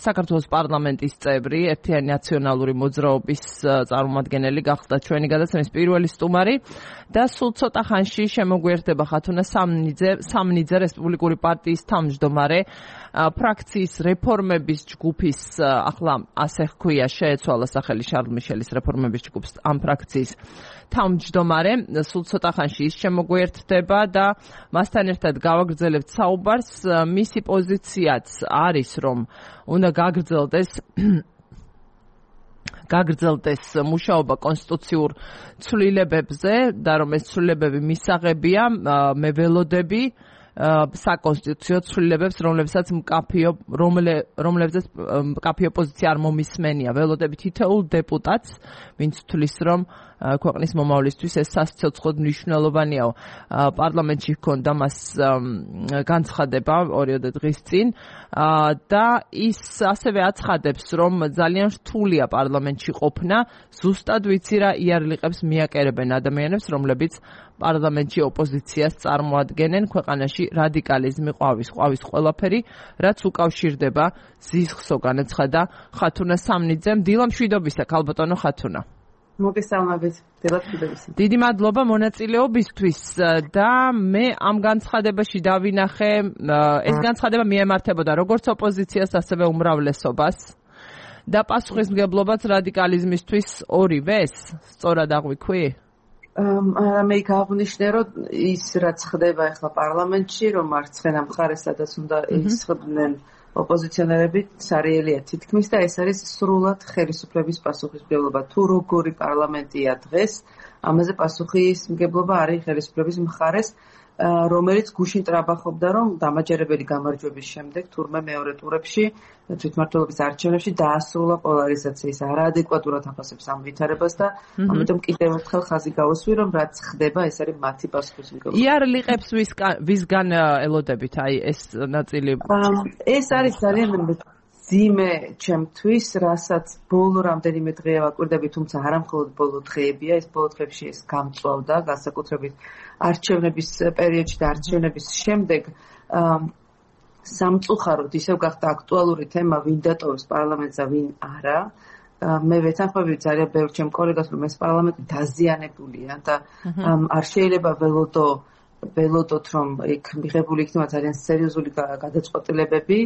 საქართველოს პარლამენტის წევრი, ერთიანი ნაციონალური მოძრაობის წარმომადგენელი გახდა ჩვენი ჩვენი გადაცემის პირველი სტუმარი და სულ ცოტა ხანში შემოგვიერთდება ხათუნა სამნიძე რესპუბლიკური პარტიის თავმჯდომარე ფრაქციის რეფორმების ჯგუფის ახლა ასე ჰქვია შეეცვალა სახელი შარლ მიშელის რეფორმების ჯგუფს ამ ფრაქციის თავმჯდომარე სულ ცოტა ხანში ის შემოგვიერთდება და მასთან ერთად გავაგრძელებთ საუბარს მისი პოზიციაც არის რომ უნდა გაგრძელდეს მუშაობა კონსტიტუციურ ცვლილებებზე და რომ ეს ცვლილებები მისაღებია მე ველოდები საკონსტიტუციო ცვლილებებს რომლებსაც მკაფიო პოზიცია არ მომისმენია ველოდები თითოეულ დეპუტატს ვინც თვლის რომ ქვეყნის მომავლისთვის ეს სასიცოცხლოდ მნიშვნელოვანია პარლამენტში ჰქონდა მას განცხადება 2 დღის წინ და ის ასევე აცხადებს რომ ძალიან რთულია პარლამენტში ყოფნა ზუსტად ვიცი რა იარლიყებს მიაკერებენ ადამიანებს რომლებიც პარლამენტში ოპოზიციას წარმოადგენენ ქვეყანაში რადიკალიზმი ყვავის ყველაფერი რაც უკავშირდება ზიზღსო განაცხადა ხათუნა სამნიძემ დილა მშვიდობისა ქალბატონო ხათუნა მოგესალმებით დილათვიდობისა დიდი მადლობა მონაწილეობისთვის და მე ამ განცხადებაში დავინახე ეს განცხადება მიემართებოდა როგორც ოპოზიციას ასევე უმრავლესობას და პასუხისმგებლობაც რადიკალიზმისთვის ორივეს სწორად აღვიქვი მე გავნიშნე რომ ის რაც ხდება ახლა პარლამენტში რომ მარცხენა მხარეს სადაც უნდა ისხდნენ ოპოზიციონერები სარიელია თითქმის და ეს არის სრულად ხელისუფლების პასუხისმგებლობა თუ როგორი პარლამენტია დღეს ამაზე პასუხისმგებლობა არის ხელისუფლების მხარეს რომელიც გუშინ ტრაბახობდა რომ დამაჯერებელი გამარჯვების შემდეგ თურმე მეორე ტურებში თვითმმართველობის არჩევნებში დაასრულა პოლარიზაციის არაადეკვატურად აფასებს ამ ვითარებას და ამიტომ კიდევ ერთხელ ხაზი გავუსვი რომ რაც ხდება ეს არის მათი პასუხისმგებლობა იარლიყებს ვისგან ელოდებით აი ეს ნაწილი ეს არის ძალიან ძიმე ჩემთვის, რასაც ბოლო რამდენიმე დღეა ვაკვირდები, თუმცა არა მხოლოდ ბოლო დღეებია, ეს ბოლო დღეებში ეს გამწვავდა, განსაკუთრებით არჩევნების პერიოდში და არჩევნების შემდეგ სამწუხაროდ ისევ გახდა აქტუალური თემა, ვინ დატოვებს პარლამენტს და ვინ არა. მე ვეთანხმები ძალიან ბევრ ჩემ კოლეგას, რომ ეს პარლამენტი დაზიანებულია და არ შეიძლება ველოდოთ რომ იქ მიღებული იქნება ძალიან სერიოზული გადაწყვეტილებები,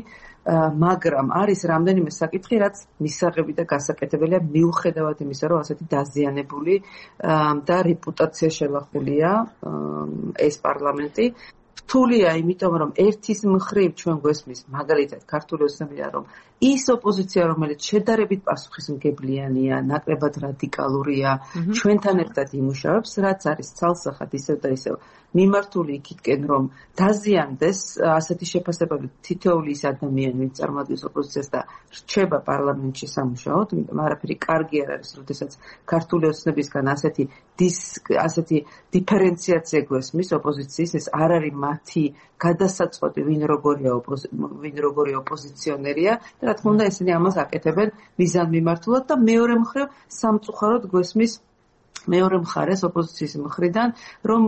მაგრამ არის რამდენიმე საკითხი, რაც მისაღები და გასაკეთებელია მიუხედავად იმისა, რომ ასეთი დაზიანებული და რეპუტაცია შელახულია ეს პარლამენტი. რთულია, იმიტომ რომ ერთის მხრივ ჩვენ გვესმის მაგალითად ქართული ოცნებია, რომ ის ოპოზიცია, რომელიც შედარებით პასუხისმგებლიანია, ნაკლებად რადიკალურია, ჩვენთან ერთად იმუშავებს, რაც არის ცალსახად ისევ და ისევ მიმართული იქითკენ, რომ დაზიანდეს ასეთი შეფასებები თითოეული ის ადამიანი, ვინც წარმოადგენს ოპოზიციას და რჩება პარლამენტში სამუშაოდ, იმიტომ არაფერი კარგი არ არის, როდესაც ქართული ოცნებისგან ასეთი დიფერენციაცია გვესმის ოპოზიციის, ეს არ არის მათი გადასაწყვეტი, ვინ როგორია ოპოზიციონერია და რა თქმა უნდა ესენი ამას აკეთებენ მიზანმიმართულად და მეორე მხრივ სამწუხაროდ გვესმის მეორე მხარეს ოპოზიციის მხრიდან, რომ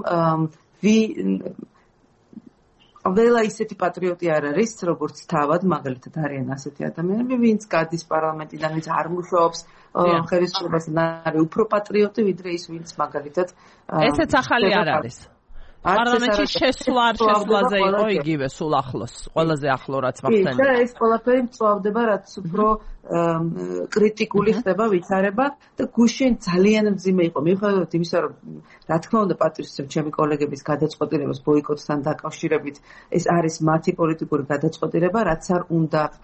ველა ისეთი პატრიოტი არ არის, როგორც თავად, მაგალითად არიან ასეთი ადამიანები, ვინც გადის პარლამენტიდან, ვინც არ მუშაობს ხელისუფლებასთან, არის უფრო პატრიოტი, ვიდრე ის, ვინც მაგალითად ესეც ახალი არ არის. პარლამენტში შესვლაზე იყო იგივე სულ ახლოს, ყველაზე ახლო რაც მახსენდება. და ეს ყველაფერი მწვავდება, რაც უფრო კრიტიკული ხდება ვითარება და გუშინ ძალიან მძიმე იყო. მიუხედავად იმისა, რომ რა თქმა უნდა პატივისცემ ჩემი კოლეგების გადაწყვეტილებას ბოიკოტთან დაკავშირებით, ეს არის მათი პოლიტიკური გადაწყვეტილება, რაც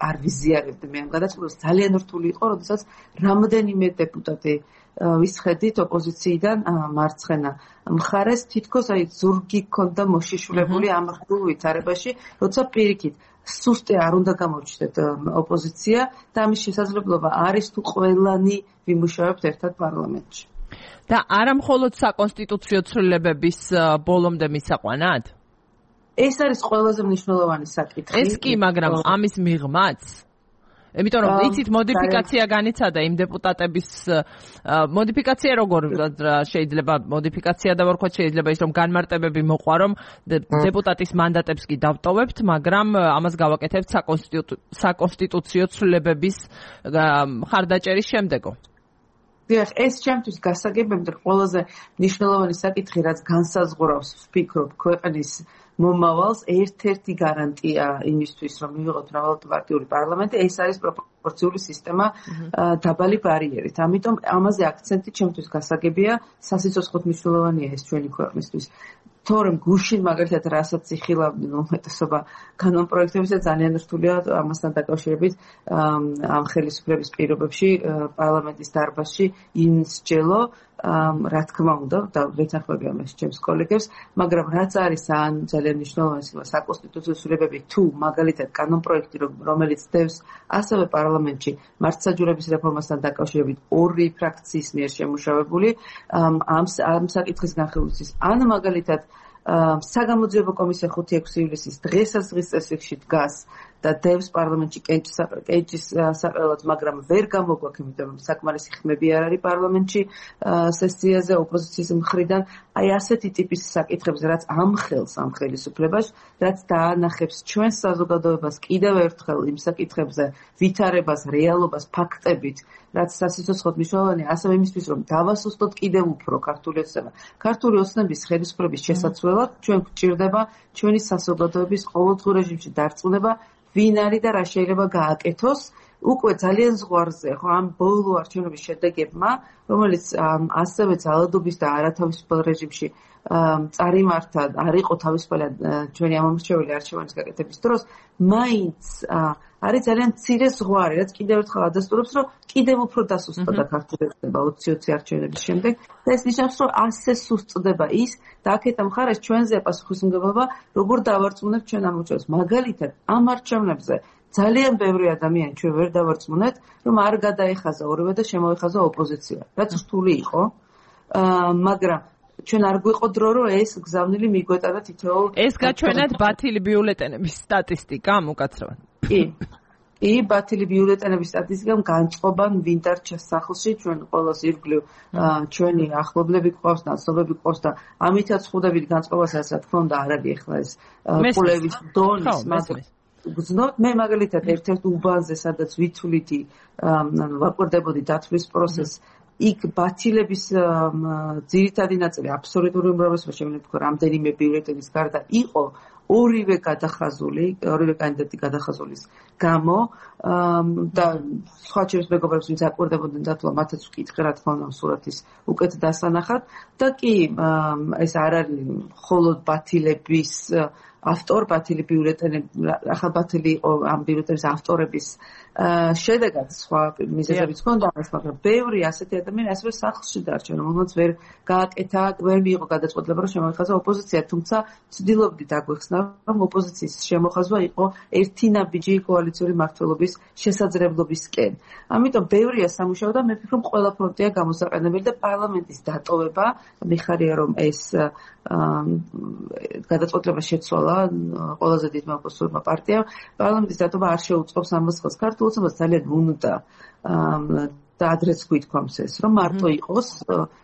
არ ვიზიარებდი მე ამ გადაწყვეტილებას. ძალიან რთული იყო, როდესაც რამდენიმე დეპუტატი ვისხედით ოპოზიციიდან მარცხენა მხარეს თითქოს აი ზურგი ქონდა მოშიშვლებული ამ რთულ ვითარებაში, როცა პირიქით სუსტი არ უნდა გამორჩნდეთ ოპოზიცია და ამის შესაძლებლობა არის თუ ყველანი ვიმუშავებთ ერთად პარლამენტში. და არა მხოლოდ საკონსტიტუციო ცვლილებების ბოლომდე მისაყვანად? ეს არის ყველაზე მნიშვნელოვანი საკითხი. ეს კი, მაგრამ ამის მიღმაც იმიტომ რომ იცით მოდიფიკაცია განიცადა იმ დეპუტატების მოდიფიკაცია როგორ შეიძლება მოდიფიკაცია და ვარქვათ შეიძლება ის რომ განმარტებები მოყვა რომ დეპუტატის მანდატებს კი დავტოვებთ, მაგრამ ამას გავაკეთებთ საკონსტიტუციო ცვლილებების მხარდაჭერის შემდეგო. დიახ, ეს ჩემთვის გასაგებია, ყველაზე მნიშვნელოვანი საკითხი, რაც განსაზღვრავს, ვფიქრობ, ქვეყნის მომავალს, ერთ-ერთი გარანტია იმისთვის, რომ მივიღოთ მრავალპარტიული პარლამენტი, ეს არის პროპორციული სისტემა დაბალი ბარიერით. ამიტომ ამაზე აქცენტი ჩემთვის გასაგებია, სასიცოცხლოდ მნიშვნელოვანია ეს ჩვენი ქვეყნისთვის. თორემ გუშინ მაგალითად რასაც იხილავდნენ უმეტესობა კანონპროექტებისა ძალიან რთულია ამასთან დაკავშირებით ამ ხელისუფლების პირობებში პარლამენტის დარბაზში იმსჯელო რა თქმა უნდა და ვეთანხმები ამას ჩემს კოლეგებს, მაგრამ რაც არის ძალიან მნიშვნელოვანი საკონსტიტუციო ცვლილებები თუ მაგალითად კანონპროექტი რომელიც დევს ასევე პარლამენტში მართლმსაჯულების რეფორმასთან დაკავშირებით ორი ფრაქციის მიერ შემუშავებული ამ საკითხის განხილვის ან მაგალითად საგამოძიებო კომისია 5-6 ივლისის დღესასწრის წესრიგში დგას და დევს პარლამენტში კენჭის საყელად, მაგრამ ვერ გამოგვაქვს, იმიტომ რომ საკმარისი ხმები არ არის პარლამენტში სესიაზე ოპოზიციის მხრიდან. აი ასეთი ტიპის საკითხებს, რაც ამხელს ამ ხელისუფლებას, რაც დაანახებს ჩვენს საზოგადოებას კიდევ ერთხელ იმ საკითხებზე ვითარებას, რეალობას, ფაქტებით, რაც სასიცოცხლოდ მნიშვნელოვანია, ასევე იმისთვის, რომ დავასუსტოთ კიდევ უფრო ქართული ოცნება. ქართული ოცნების ხელისუფლების შესაცვლელად ჩვენ გვჭირდება ჩვენი საზოგადოების ყოველდღიურ რეჟიმში დარწმუნება, ვინ არის და რა შეიძლება გააკეთოს. უკვე ძალიან ზღვარზე, ხო, ამ ბოლო არჩევნების შედეგებმა, რომელიც ასევე ძალადობის და არათავისუფალ რეჟიმში წარიმართა, არ იყო თავისუფალი ჩვენი ამომრჩეველი არჩევანის გაკეთების დროს, მაინც არის ძალიან მცირე ზღვარი, რაც კიდევ ერთხელ ადასტურებს, რომ კიდევ უფრო დასუსტდა ქართული ოცნება 20-20 არჩევნების შემდეგ და ეს ნიშნავს, რომ ასე სუსტდება ის და აქეთ ამ მხარეს ჩვენზეა პასუხისმგებლობა, როგორ დავარწმუნებთ ჩვენ ამორჩევლებს. მაგალითად, ამ არჩევნებზე ძალიან ბევრი ადამიანი ჩვენ ვერ დავარწმუნეთ, რომ არ გადაეხაზა ორივე და შემოეხაზა ოპოზიცია, რაც რთული იყო, მაგრამ ჩვენ არ გვიყო დრო, რომ ეს გზავნილი მიგვეტანა თითოეულ. ეს გაჩვენათ ბათილი ბიულეტენების სტატისტიკა უკაცრავად. კი, ბათილი ბიულეტენების სტატისტიკამ განწყობან ვინ დარჩა სახლში, ჩვენ ყოველს ირგვლივ ჩვენი ახლობლები გვყავს, ნაცნობები გვყავს და ამითაც ხვდებით განწყობასაც, რა თქმა უნდა, არ არის ახლა ეს კულევის დონის, მაგრამ გძნობთ, მე მაგალითად ერთ-ერთ უბანზე, სადაც ვითვლითი ვაკვირდებოდი დათვლის პროცესს, იქ ბათილების ძირითადი ნაწილი აბსოლუტური უმრავლესობა შემიძლია ვთქვა რამდენიმე ბიულეტენის გარდა იყო ორივე კანდიდატი გადახაზულის გამო და სხვა ჩემს მეგობრებს ვინც აკვირდებოდნენ დათვლა მათაც ვკითხე რა თქმა უნდა სურათის უკეთ დასანახად და კი ეს არ არის მხოლოდ ბათილების ბათილი ბიულეტენები ახლა ბათილი იყო ამ ბიულეტენის ავტორების შედეგად სხვა მიზეზებიც ჰქონდა მას, მაგრამ ბევრი ასეთი ადამიანი ასევე სახლში დარჩა, რომელმაც ვერ გააკეთა, ვერ მიიღო გადაწყვეტილება, რომ შემოეხაზა ოპოზიცია, თუმცა ვცდილობდით აგვეხსნა, რომ ოპოზიციის შემოხაზვა იყო ერთი ნაბიჯი კოალიციური მმართველობის შესაძლებლობისკენ. ამიტომ ბევრია სამუშაო და მე ვფიქრობ, ყველა ფრონტია გამოსაყენებელი და პარლამენტის დატოვება, მიხარია რომ ეს გადაწყვეტილება შეცვალა ყველაზე დიდმა ოპოზიციურმა პარტიამ, პარლამენტის დატოვება არ შეუწყობს ამას ხელს. ქართულ ოცნებას ძალიან უნდა და ადრეც გვითქვამს ეს, რომ მარტო იყოს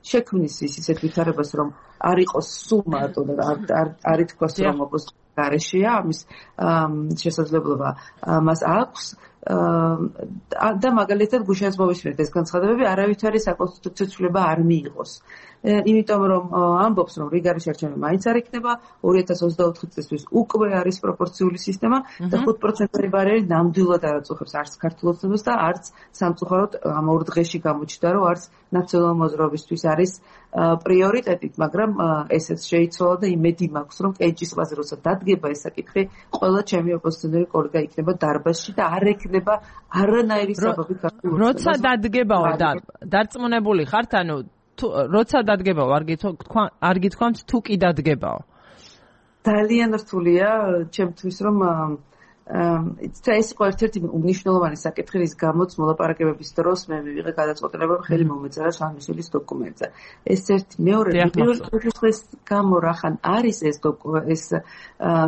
შექმნის ისეთ ვითარებას, რომ არ იყოს სულ მარტო და არ ითქვას, რომ ოპოზიცია გარეშეა, ამის შესაძლებლობა მას აქვს და მაგალითად გუშინაც მოვისმენთ ეს განცხადებები, არავითარი საკონსტიტუციო ცვლილება არ მიიღოს. იმიტომ რომ ამბობს, რომ რიგარის არჩევნები მაინც არ იქნება, 2024 წლისთვის უკვე არის პროპორციული სისტემა და 5%-იანი ბარიერი ნამდვილად არ აწუხებს არც ქართულ ოცნებას და არც სამწუხაროდ ამ ორ დღეში გამოჩნდა, რომ არც ნაციონალური მოძრაობისთვის არის პრიორიტეტით, მაგრამ ესეც შეიცვალა და იმედი მაქვს, რომ კენჭის ზღვაზე როცა დადგება ეს საკითხი, ყველა ჩემი ოპოზიციონერი კოლეგა იქნება დარბაზში და არ ექნება არანაირი საბაბი ქართულ ოცნებას. როცა დადგებაო დარწმუნებული ხართ, ანუ როცა დადგებაო, არ გითქვამთ თუ კი დადგებაო. ძალიან რთულია ჩემთვის, რომ ეს იყო ერთ-ერთი უნიშნულოვანი საკითხი, რის გამოც მოლაპარაკებების დროს მე მივიღე გადაწყვეტილება, რომ ხელი მომეწერა შანიშვილის დოკუმენტზე. ეს ერთი მეორე პირველ გამო რახან არის ეს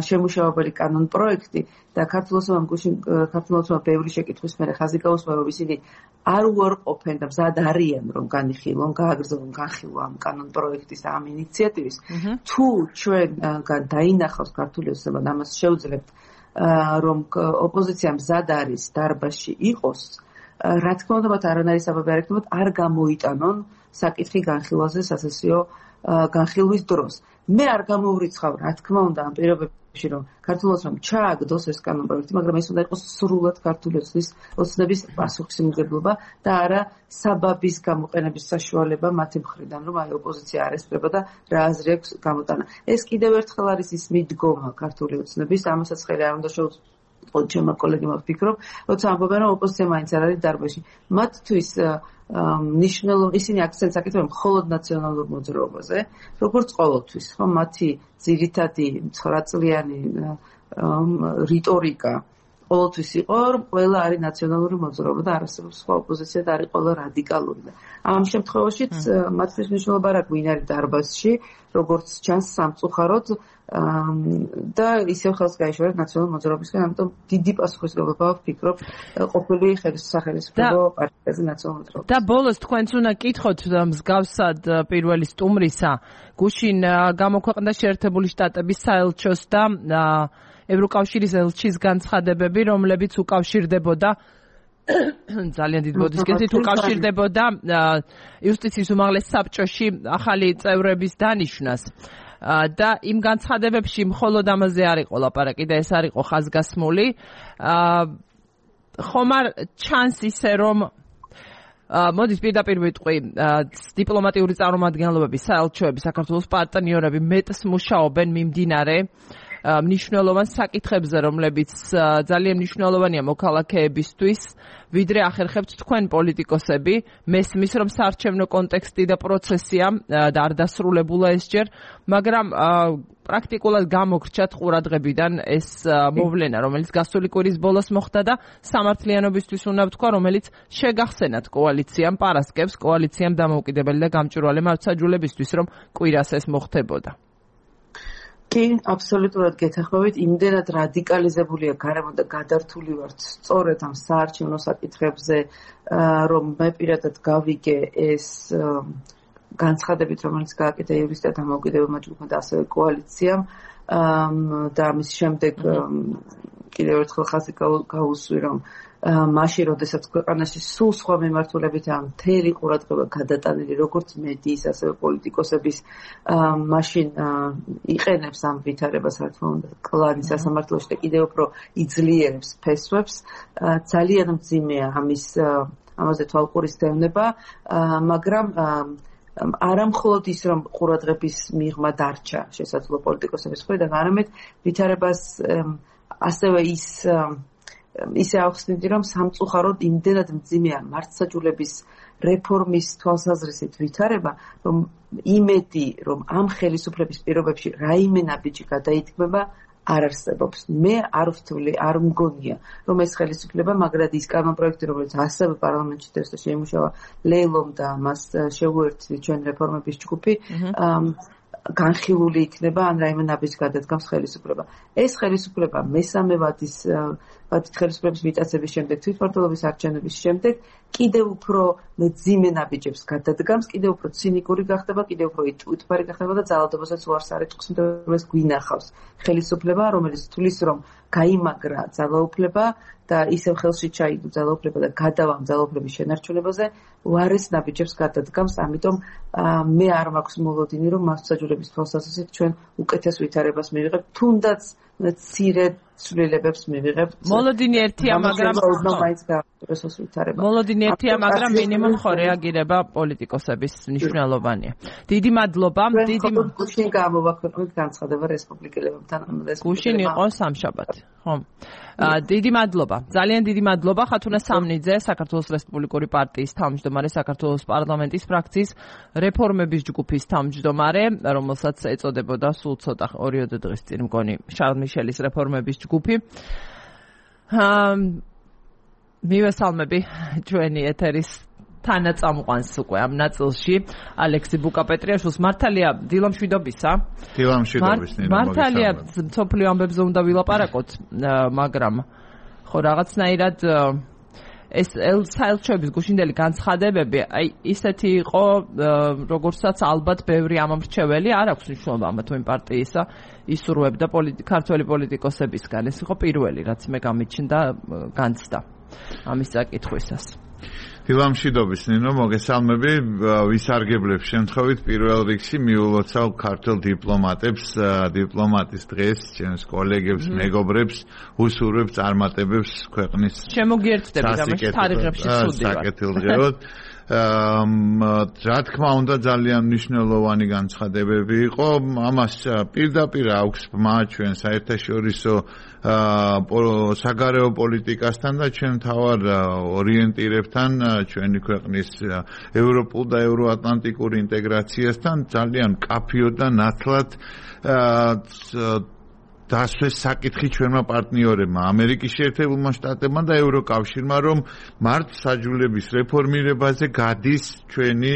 შემუშავებელი კანონპროექტი და ქართულ ოცნებამ ბევრი შეკითხვის მერე ხაზი გაუსვა, რომ ისინი არ უარყოფენ და მზად არიან, რომ განიხილონ, გააგრძელონ, განხილვა ამ კანონპროექტის ამ ინიციატივის. თუ ჩვენგან დაინახავს ქართული ოცნება და ამას შევძლებთ, რომ ოპოზიცია მზად არის დარბაზში იყოს რა თქმა უნდა მათ არანაირი საბაბი არ ექნებათ არ გამოიტანონ საკითხი განხილვაზე სასესიო განხილვის დროს. მე არ გამოვრიცხავ რა თქმა უნდა ამ პირობებში რომ ქართულოს რომ ჩააგდოს ეს კანონპროექტი, მაგრამ ეს უნდა იყოს სრულად ქართული ოცნების პასუხისმგებლობა და არა საბაბის გამოყენების საშუალება მათი მხრიდან, რომ აი ოპოზიცია არ ესწრება და რა აზრი აქვს გამოტანა. ეს კიდევ ერთხელ არის ის მიდგომა ქართული ოცნების, ამასაც ხელი არ უნდა შეუწყოთ ჩემმა კოლეგებმა ვფიქრობ, როცა ამბობენ რომ ოპოზიცია მაინც არ არის დარბაზში. მათთვის ნიშნულოვანი ისინი აქცენტს აკეთებენ მხოლოდ ნაციონალურ მოძრაობაზე, როგორც ყოველთვის, ხო, მათი ძირითადი 9 წლიანი რიტორიკა ყოველთვის იყო, რომ ყველა არის ნაციონალური მოძრაობა და არასდროს სხვა ოპოზიცია და არის ყველა რადიკალური. ამ შემთხვევაშიც მათთვის მნიშვნელობა არ აქვს ვინ არის დარბაზში, როგორც ჩანს სამწუხაროდ და ისევ ხელს გაიშორეს ნაციონალურ მოძრაობისგან, ამიტომ დიდი პასუხისმგებლობა ვფიქრობ ყოფილი სახელმწიფო პარტიაზე ნაციონალურ მოძრაობას. და ბოლოს თქვენც უნდა კითხოთ მსგავსად პირველი სტუმრისა, გუშინ გამოქვეყნდა შეერთებული შტატების საელჩოს და ევროკავშირის ელჩის განცხადებები, რომლებიც უკავშირდებოდა ძალიან დიდ ბოდიშკეთით უკავშირდებოდა იუსტიციის უმაღლეს საბჭოში ახალი წევრების დანიშვნას. და იმ განცხადებებში მხოლოდ ამაზე არ იყო ლაპარაკი და ეს არ იყო ხაზგასმული. ხომ არ ჩანს ისე რომ მოდის პირდაპირ ვიტყვი, დიპლომატიური წარმომადგენლობები, საელჩოები, საქართველოს პარტნიორები მეტს მუშაობენ მიმდინარე მნიშვნელოვან საკითხებზე, რომლებიც ძალიან მნიშვნელოვანია მოქალაქეებისთვის, ვიდრე ახერხებთ თქვენ პოლიტიკოსები, მესმის რომ საარჩევნო კონტექსტი და პროცესია და არ დასრულებულა ეს ჯერ, მაგრამ პრაქტიკულად გამოგრჩათ ყურადღებიდან ეს მოვლენა, რომელიც გასული კვირის ბოლოს მოხდა და სამართლიანობისთვის უნდა ვთქვა, რომელიც შეგახსენათ კოალიციამ, პარასკევს კოალიციამ დამოუკიდებელი და გამჭვირვალე მართლმსაჯულებისთვის, რომ კვირას ეს მოხდებოდა. კი, აბსოლუტურად გეთანხმებით, იმდენად რადიკალიზებულია გარემო და გადართული ვართ სწორედ ამ საარჩევნო საკითხებზე, რომ მე პირადად გავიგე ეს განცხადებით, რომელიც გააკეთა იურისტთა დამოუკიდებელმა ჯგუფმა და ასევე კოალიციამ და ამის შემდეგ კიდევ ერთხელ ხაზი გაუსვი, რომ მაშინ, როდესაც ქვეყანაში სულ სხვა მიმართულებითაა მთელი ყურადღება გადატანილი, როგორც მედიის, ასევე პოლიტიკოსების, მაშინ იყენებს ამ ვითარებას, რა თქმა უნდა, კლანი სასამართლოში და კიდევ უფრო იძლიერებს ფესვებს. ძალიან მძიმეა ამაზე თვალყურის დევნება, მაგრამ არა მხოლოდ ის, რომ ყურადღების მიღმა დარჩა შესაძლო პოლიტიკოსების მხრიდან, არამედ ვითარებას ასევე ისე ახსნიდი, რომ სამწუხაროდ იმდენად მძიმეა მართლმსაჯულების რეფორმის თვალსაზრისით ვითარება, რომ იმედი, რომ ამ ხელისუფლების პირობებში რაიმე ნაბიჯი გადაითქმება, არ არსებობს. მე არ ვთვლი, არ მგონია, რომ ეს ხელისუფლება, მაგრამ ის კანონპროექტი, რომელიც ასევე პარლამენტში დღეს შეიმუშავა ლეილომ და მას შეუერთდი ჩვენ რეფორმების ჯგუფი, განხილული იქნება ან რაიმე ნაბიჯს გადადგამს ხელისუფლება. ეს ხელისუფლება მესამე ვადის ხელისუფლების მიტაცების შემდეგ, თვითმმართველობის არჩევნების შემდეგ კიდევ უფრო მძიმე ნაბიჯებს გადადგამს, კიდევ უფრო ცინიკური გახდება, კიდევ უფრო იტვიტბარი გახდება და ძალადობასაც უარს არ ეთქვს, რომ ეს გვინახავს ხელისუფლება, რომელიც თulis რომ გაიმაგრა ძალაუფლება და ისევ ხელში ჩაიგდო ძალაუფლება და გადავა ძალაუფლების შენარჩუნებაზე, უარეს ნაბიჯებს გადადგამს, ამიტომ მე არ მაქვს მოლოდინი, რომ მართლმსაჯულების თვალსაზრისით ჩვენ უკეთეს ვითარებას მივიღებთ, თუნდაც მცირე ცვლილებებს მივიღებთ. მოლოდინი ერთია, მაგრამ მოლოდინი ერთია, მაგრამ მინიმუმ ხო რეაგირება პოლიტიკოსების მნიშვნელოვანია. დიდი მადლობა. გუშინ გამოვაქვეყნეთ განცხადება რესპუბლიკელებთან. გუშინ იყო სამშაბათი, ხო? დიდი მადლობა. ძალიან დიდი მადლობა ხათუნა სამნიძე, საქართველოს რესპუბლიკური პარტიის თავმჯდომარე, საქართველოს პარლამენტის ფრაქციის რეფორმების ჯგუფის თავმჯდომარე, რომელსაც ეწოდებოდა სულ ცოტა 2 დღის წინ მგონი შარლ მიშელის რეფორმების ჯგუფი. მივესალმები ჩვენი ეთერის თანაწამყვანს უკვე ამ ნაწილში ალექსი ბუკაპეტრიაშვილს. მართალია დილამშვიდობისა. დილამშვიდობის ნინო. მართალია სოფლიო ამბებზე უნდა ვილაპარაკოთ, მაგრამ ხო რაღაცნაირად ეს საელჩოების გუშინდელი განცხადებები, აი ისეთი იყო, როგორცაც ალბათ ბევრი ამომრჩეველი არ აქვს მნიშვნელობა ამა თუ იმ პარტიისა ისურვებდა ქართველი პოლიტიკოსებისგან. ეს იყო პირველი, რაც მე გამიჩნდა განცდა ამის საკითხვისას. დილამშვიდობის ნინო, მოგესალმები, ვისარგებლებ შემთხვევით პირველ რიგში მიულოცავ ქართულ დიპლომატებს, დიპლომატის დღეს, ჩემს კოლეგებს, მეგობრებს, უსურვებ წარმატებებს ქვეყნის შემოგიერთდები ამაში თარიღებში სუდი ვარ. საკეთილდღეოდ რა თქმა უნდა ძალიან მნიშვნელოვანი განცხადებები იყო, ამას პირდაპირ აქვს ბმა ჩვენ საერთაშორისო საგარეო პოლიტიკასთან და ჩვენ თავარ ორიენტირებთან ჩვენი ქვეყნის ევროპულ და ევროატლანტიკურ ინტეგრაციასთან ძალიან კაფიოდ და ნათლად დასვეს საკითხი ჩვენმა პარტნიორებმა ამერიკის შეერთებულმა შტატებმა და ევროკავშირმა რომ მართლმსაჯულების რეფორმირებაზე გადის ჩვენი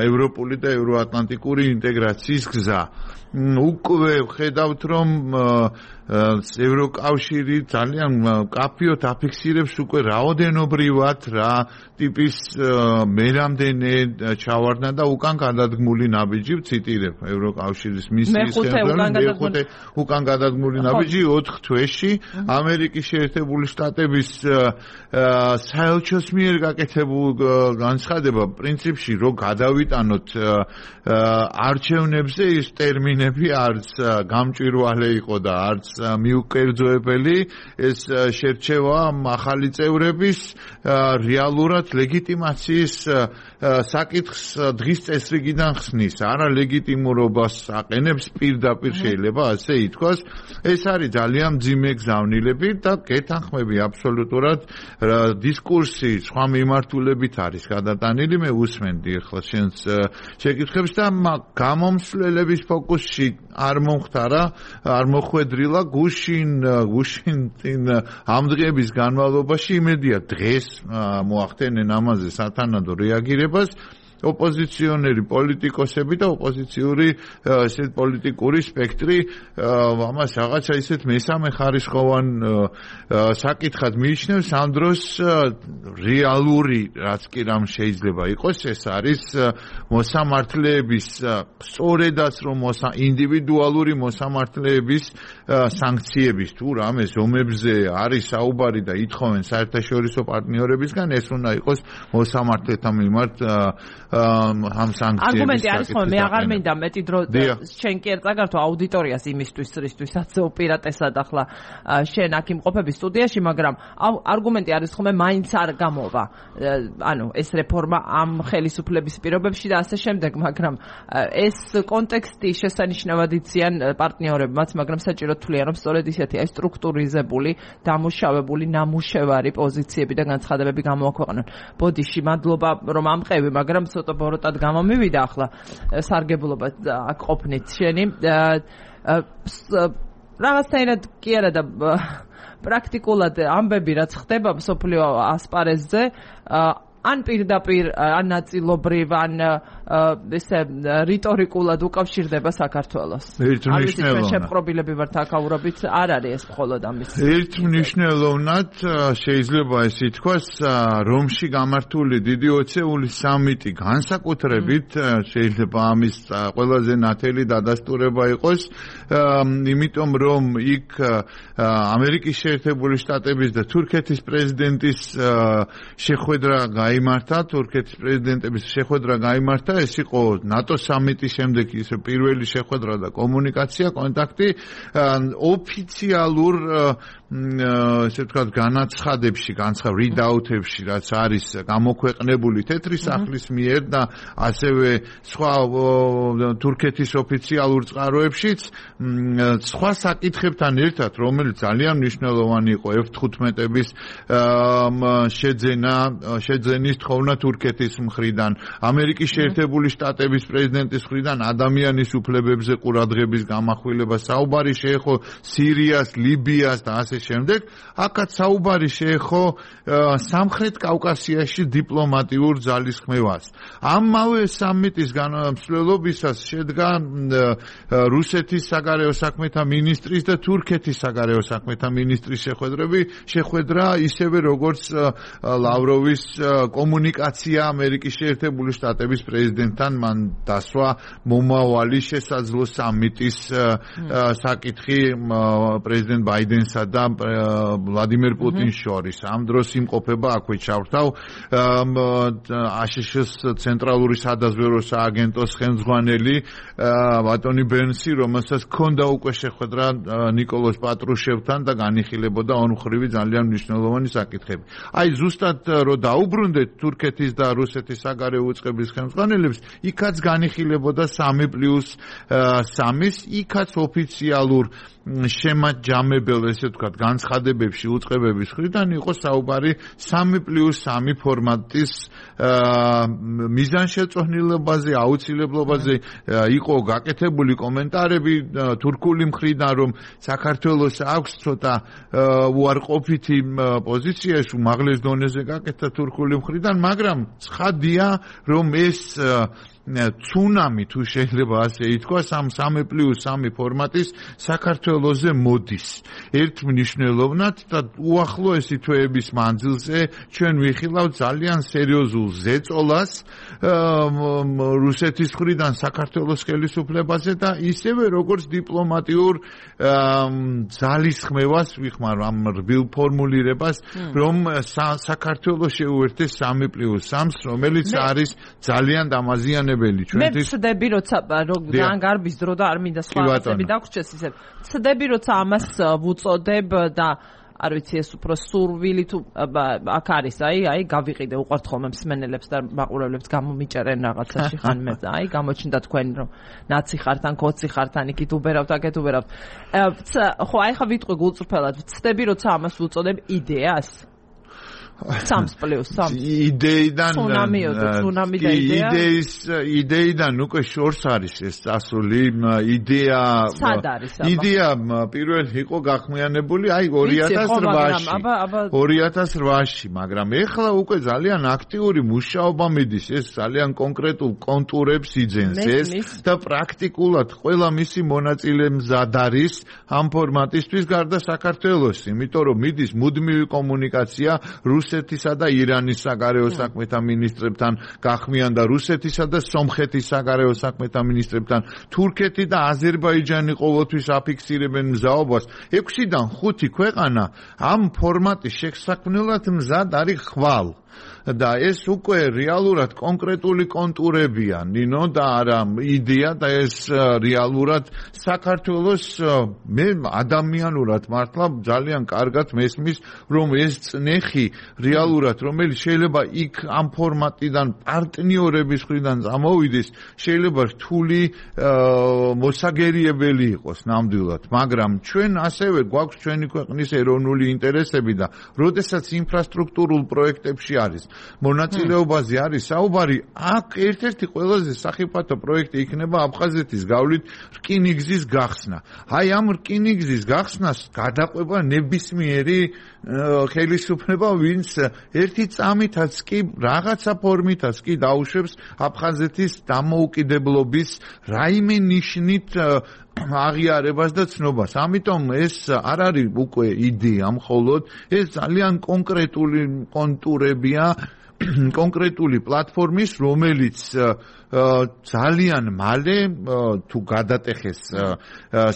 ევროპული და ევროატლანტიკური ინტეგრაციის გზა. უკვე ხედავთ რომ ევროკავშირი ძალიან კაფიოდ აფიქსირებს უკვე რაოდენობრივად რა ტიპის მერამდენე ჩავარდნა და უკან გადადგმული ნაბიჯი ვციტირებ ევროკავშირის მისიის მეხუთე უკან გადადგმული ნაბიჯი 4 თვეში ამერიკის შეერთებული შტატების საელჩოს მიერ გაკეთებულ განცხადება პრინციპში რომ გადავიტანოთ არჩევნებზე ის ტერმინები არც გამჭვირვალე იყო და არც მიუკერძოებელი ეს შერჩევა ახალი წევრების რეალურად ლეგიტიმაციის საკითხს დღის წესრიგიდან ხსნის არა ლეგიტიმურობას აყენებს პირდაპირ შეიძლება ასე ითქვას ეს არის ძალიან მძიმე გზავნილები და გეთანხმები აბსოლუტურად დისკურსი სხვა მიმართულებით არის გადატანილი მე უსმენდი ახლა შენს შეკითხვებს და გამომსვლელების ფოკუსში არ მომხდარა არ მოხვედრილა გუშინ ამ დღეების განმავლობაში იმედია დღეს მოახდენენ ამაზე სათანადო რეაგირებას ოპოზიციონერი პოლიტიკოსები და ოპოზიციური ესეთ პოლიტიკური სპექტრი ამას რაღაცა ისეთ მესამე ხარისხოვან საკითხად მიიჩნევს ამ დროს რეალური რაც კი რამ შეიძლება იყოს ეს არის მოსამართლეების სწორედაც რომ ინდივიდუალური მოსამართლეების სანქციების თუ რამე ზომებზე არის საუბარი და ითხოვენ საერთაშორისო პარტნიორებისგან ეს უნდა იყოს მოსამართლეთა მიმართ ამ სანქციების არგუმენტი არის ხოლმე მე აღარ მინდა მეტი დრო შენ კი ერწაგართო აუდიტორიას იმისთვის რისთვისაც უპირატესად ახლა შენ აქ იმყოფები სტუდიაში მაგრამ არგუმენტი არის ხოლმე მაინც არ გამოვა ანუ ეს რეფორმა ამ ხელისუფლების პირობებში და ასე შემდეგ მაგრამ ეს კონტექსტი შესანიშნავად იციან პარტნიორებმაც მაგრამ საჭირო თვლიან რომ სწორედ ისეთი აი სტრუქტურიზებული დამუშავებული ნამუშევარი პოზიციები და განცხადებები გამოაქვეყნონ ბოდიში მადლობა რომ ამყევი მაგრამ ცოტა ბოროტად გამომივიდა ახლა სარგებლობა აქ ყოფნით შენი რაღაცნაირად კი არა და პრაქტიკულად ამბები რაც ხდება მსოფლიო ასპარეზზე ან პირდაპირ ან ნაწილობრივ ან ესე რიტორიკულად უკავშირდება საქართველოს. ერთმნიშვნელოვნად. შეპყრობილები ვართ აქაურობით, არ არის ეს მხოლოდ ამის. ერთმნიშვნელოვნად შეიძლება ეს ითქვას, რომში გამართული დიდი ოცეული სამიტი განსაკუთრებით შეიძლება ამის ყველაზე ნათელი დადასტურება იყოს, იმიტომ რომ იქ ამერიკის შეერთებული შტატების და თურქეთის პრეზიდენტის შეხვედრა გაიმართა, თურქეთის პრეზიდენტების შეხვედრა გაიმართა, ეს იყო ნატო სამიტის შემდეგ ის პირველი შეხვედრა და კომუნიკაცია, კონტაქტი ოფიციალურ ესე ვთქვათ განაცხადებში, readout-ებში, რაც არის გამოქვეყნებული თეთრი სახლის მიერ და ასევე სხვა თურქეთის ოფიციალურ წყაროებშიც სხვა საკითხებთან ერთად, რომელიც ძალიან მნიშვნელოვანი იყო F-15-ების შეძენის თხოვნა თურქეთის მხრიდან, ამერიკის შეერთებული შტატების პრეზიდენტის მხრიდან ადამიანის უფლებებზე ყურადღების გამახვილება, საუბარი შეეხო სირიას, ლიბიას და ასე შემდეგ, აქაც საუბარი შეეხო სამხრეთ კავკასიაში დიპლომატიურ ძალისხმევას. ამავე სამიტის განმსვლელობისას შედგა რუსეთის საგარეო საქმეთა მინისტრის და თურქეთის საგარეო საქმეთა მინისტრის შეხვედრა, ისევე როგორც ლავროვის კომუნიკაცია ამერიკის შეერთებული შტატების პრეზიდენტთან მან დასვა მომავალი შესაძლო სამიტის საკითხი პრეზიდენტ ბაიდენსა და ვლადიმერ პუტინს შორის. ამ დროს იმყოფება აქვე ჩავრთავ აშშ-ის ცენტრალური სადაზვერვო სააგენტოს ხელმძღვანელი ბატონი ბენსი, რომელსაც ჰქონდა უკვე შეხვედრა ნიკოლოზ პატრუშევთან და განიხილებოდა ორმხრივი ძალიან მნიშვნელოვანი საკითხები. აი ზუსტად რო დაუბრუნდეთ თურქეთის და რუსეთის საგარეო უწყების ხელმძღვანელებს, იქაც განიხილებოდა 3+3-ის, იქაც ოფიციალურ შემაჯამებელ, ესე ვთქვათ, განცხადებებში უწყებების მხრიდან იყო საუბარი 3+3 ფორმატის მიზანშეწონილობაზე, აუცილებლობაზე. იყო გაკეთებული კომენტარები თურქული მხრიდან, რომ საქართველოს აქვს ცოტა უარყოფითი პოზიცია, უმაღლეს დონეზე გაკეთა თურქული მხრიდან, მაგრამ ცხადია, რომ ეს ცუნამი თუ შეიძლება ასე ითქვას, ამ 3+3 ფორმატის საქართველოზე მოდის. ერთ მნიშვნელოვნად და უახლოესი თვეების მანძილზე ჩვენ ვიხილავთ ძალიან სერიოზულ ზეწოლას რუსეთის მხრიდან საქართველოს ხელისუფლებაზე და ისევე როგორც დიპლომატიურ ძალისხმევას ვიხმარ ამ რბილ ფორმულირებას, რომ საქართველოს შეუერთდეს 3+3-ს, რომელიც არის ძალიან დამაზიანებელი. მე ვცდები, როცა ძალიან გარბის დრო და არ მინდა სხვა რაღაცები დაგვრჩეს ისე. ვცდები, როცა ამას ვუწოდებ და არ ვიცი ეს უფრო სურვილი თუ აქ არის, აი გავიყიდე უყვართ ხოლმე მსმენელებს და მაყურებლებს გამომიჭერენ რაღაცაში ხან მე, აი გამოჩნდა თქვენ რომ ნაცი ხართ ან კოცი ხართ ან იქით უბერავთ, აქეთ უბერავთ. ხო, აი ხა ვიტყვი გულწრფელად, ვცდები, როცა ამას ვუწოდებ იდეას 3+3 იდეიდან ცუნამი და იდეიდან უკვე შორს არის ეს წასული. იდეა პირველი იყო გახმიანებული აი 2008-ში, მაგრამ ეხლა უკვე ძალიან აქტიური მუშაობა მიდის, ეს ძალიან კონკრეტულ კონტურებს იძენს ეს და პრაქტიკულად ყველა მისი მონაწილე მზად არის ამ ფორმატისთვის გარდა საქართველოს, იმიტომ რომ მიდის მუდმივი კომუნიკაცია რუსეთისა და ირანის საგარეო საქმეთა მინისტრებთან, გახმიანდა რუსეთისა და სომხეთის საგარეო საქმეთა მინისტრებთან. თურქეთი და აზერბაიჯანი ყოველთვის აფიქსირებენ მზაობას. 6-დან 5 ქვეყანა ამ ფორმატის შესაქმნელად მზად არის ხვალ. და ეს უკვე რეალურად კონკრეტული კონტურებია, ნინო და არა იდეა და ეს რეალურად საქართველოს მე ადამიანურად მართლა ძალიან კარგად მესმის, რომ ეს წნეხი რეალურად, რომელიც შეიძლება იქ ამ ფორმატიდან პარტნიორების მხრიდან წამოვიდეს, შეიძლება რთული მოსაგერიებელი იყოს ნამდვილად, მაგრამ ჩვენ ასევე გვაქვს ჩვენი ქვეყნის ეროვნული ინტერესები და როდესაც ინფრასტრუქტურულ პროექტებში არის მონაწილეობაზე არის საუბარი, აქ ერთ-ერთი ყველაზე სახიფათო პროექტი იქნება აფხაზეთის გავლით რკინიგზის გახსნა. აი ამ რკინიგზის გახსნას გადაყვება ნებისმიერი ხელისუფლება, ვინც ერთი წამითაც კი რაღაცა ფორმითაც კი დაუშვებს აფხაზეთის დამოუკიდებლობის რაიმე ნიშნით აღიარებას და ცნობას. ამიტომ ეს არ არის უკვე იდეა მხოლოდ, ეს ძალიან კონკრეტული კონტურებია, კონკრეტული პლატფორმის, რომელიც ძალიან მალე თუ გადატეხეს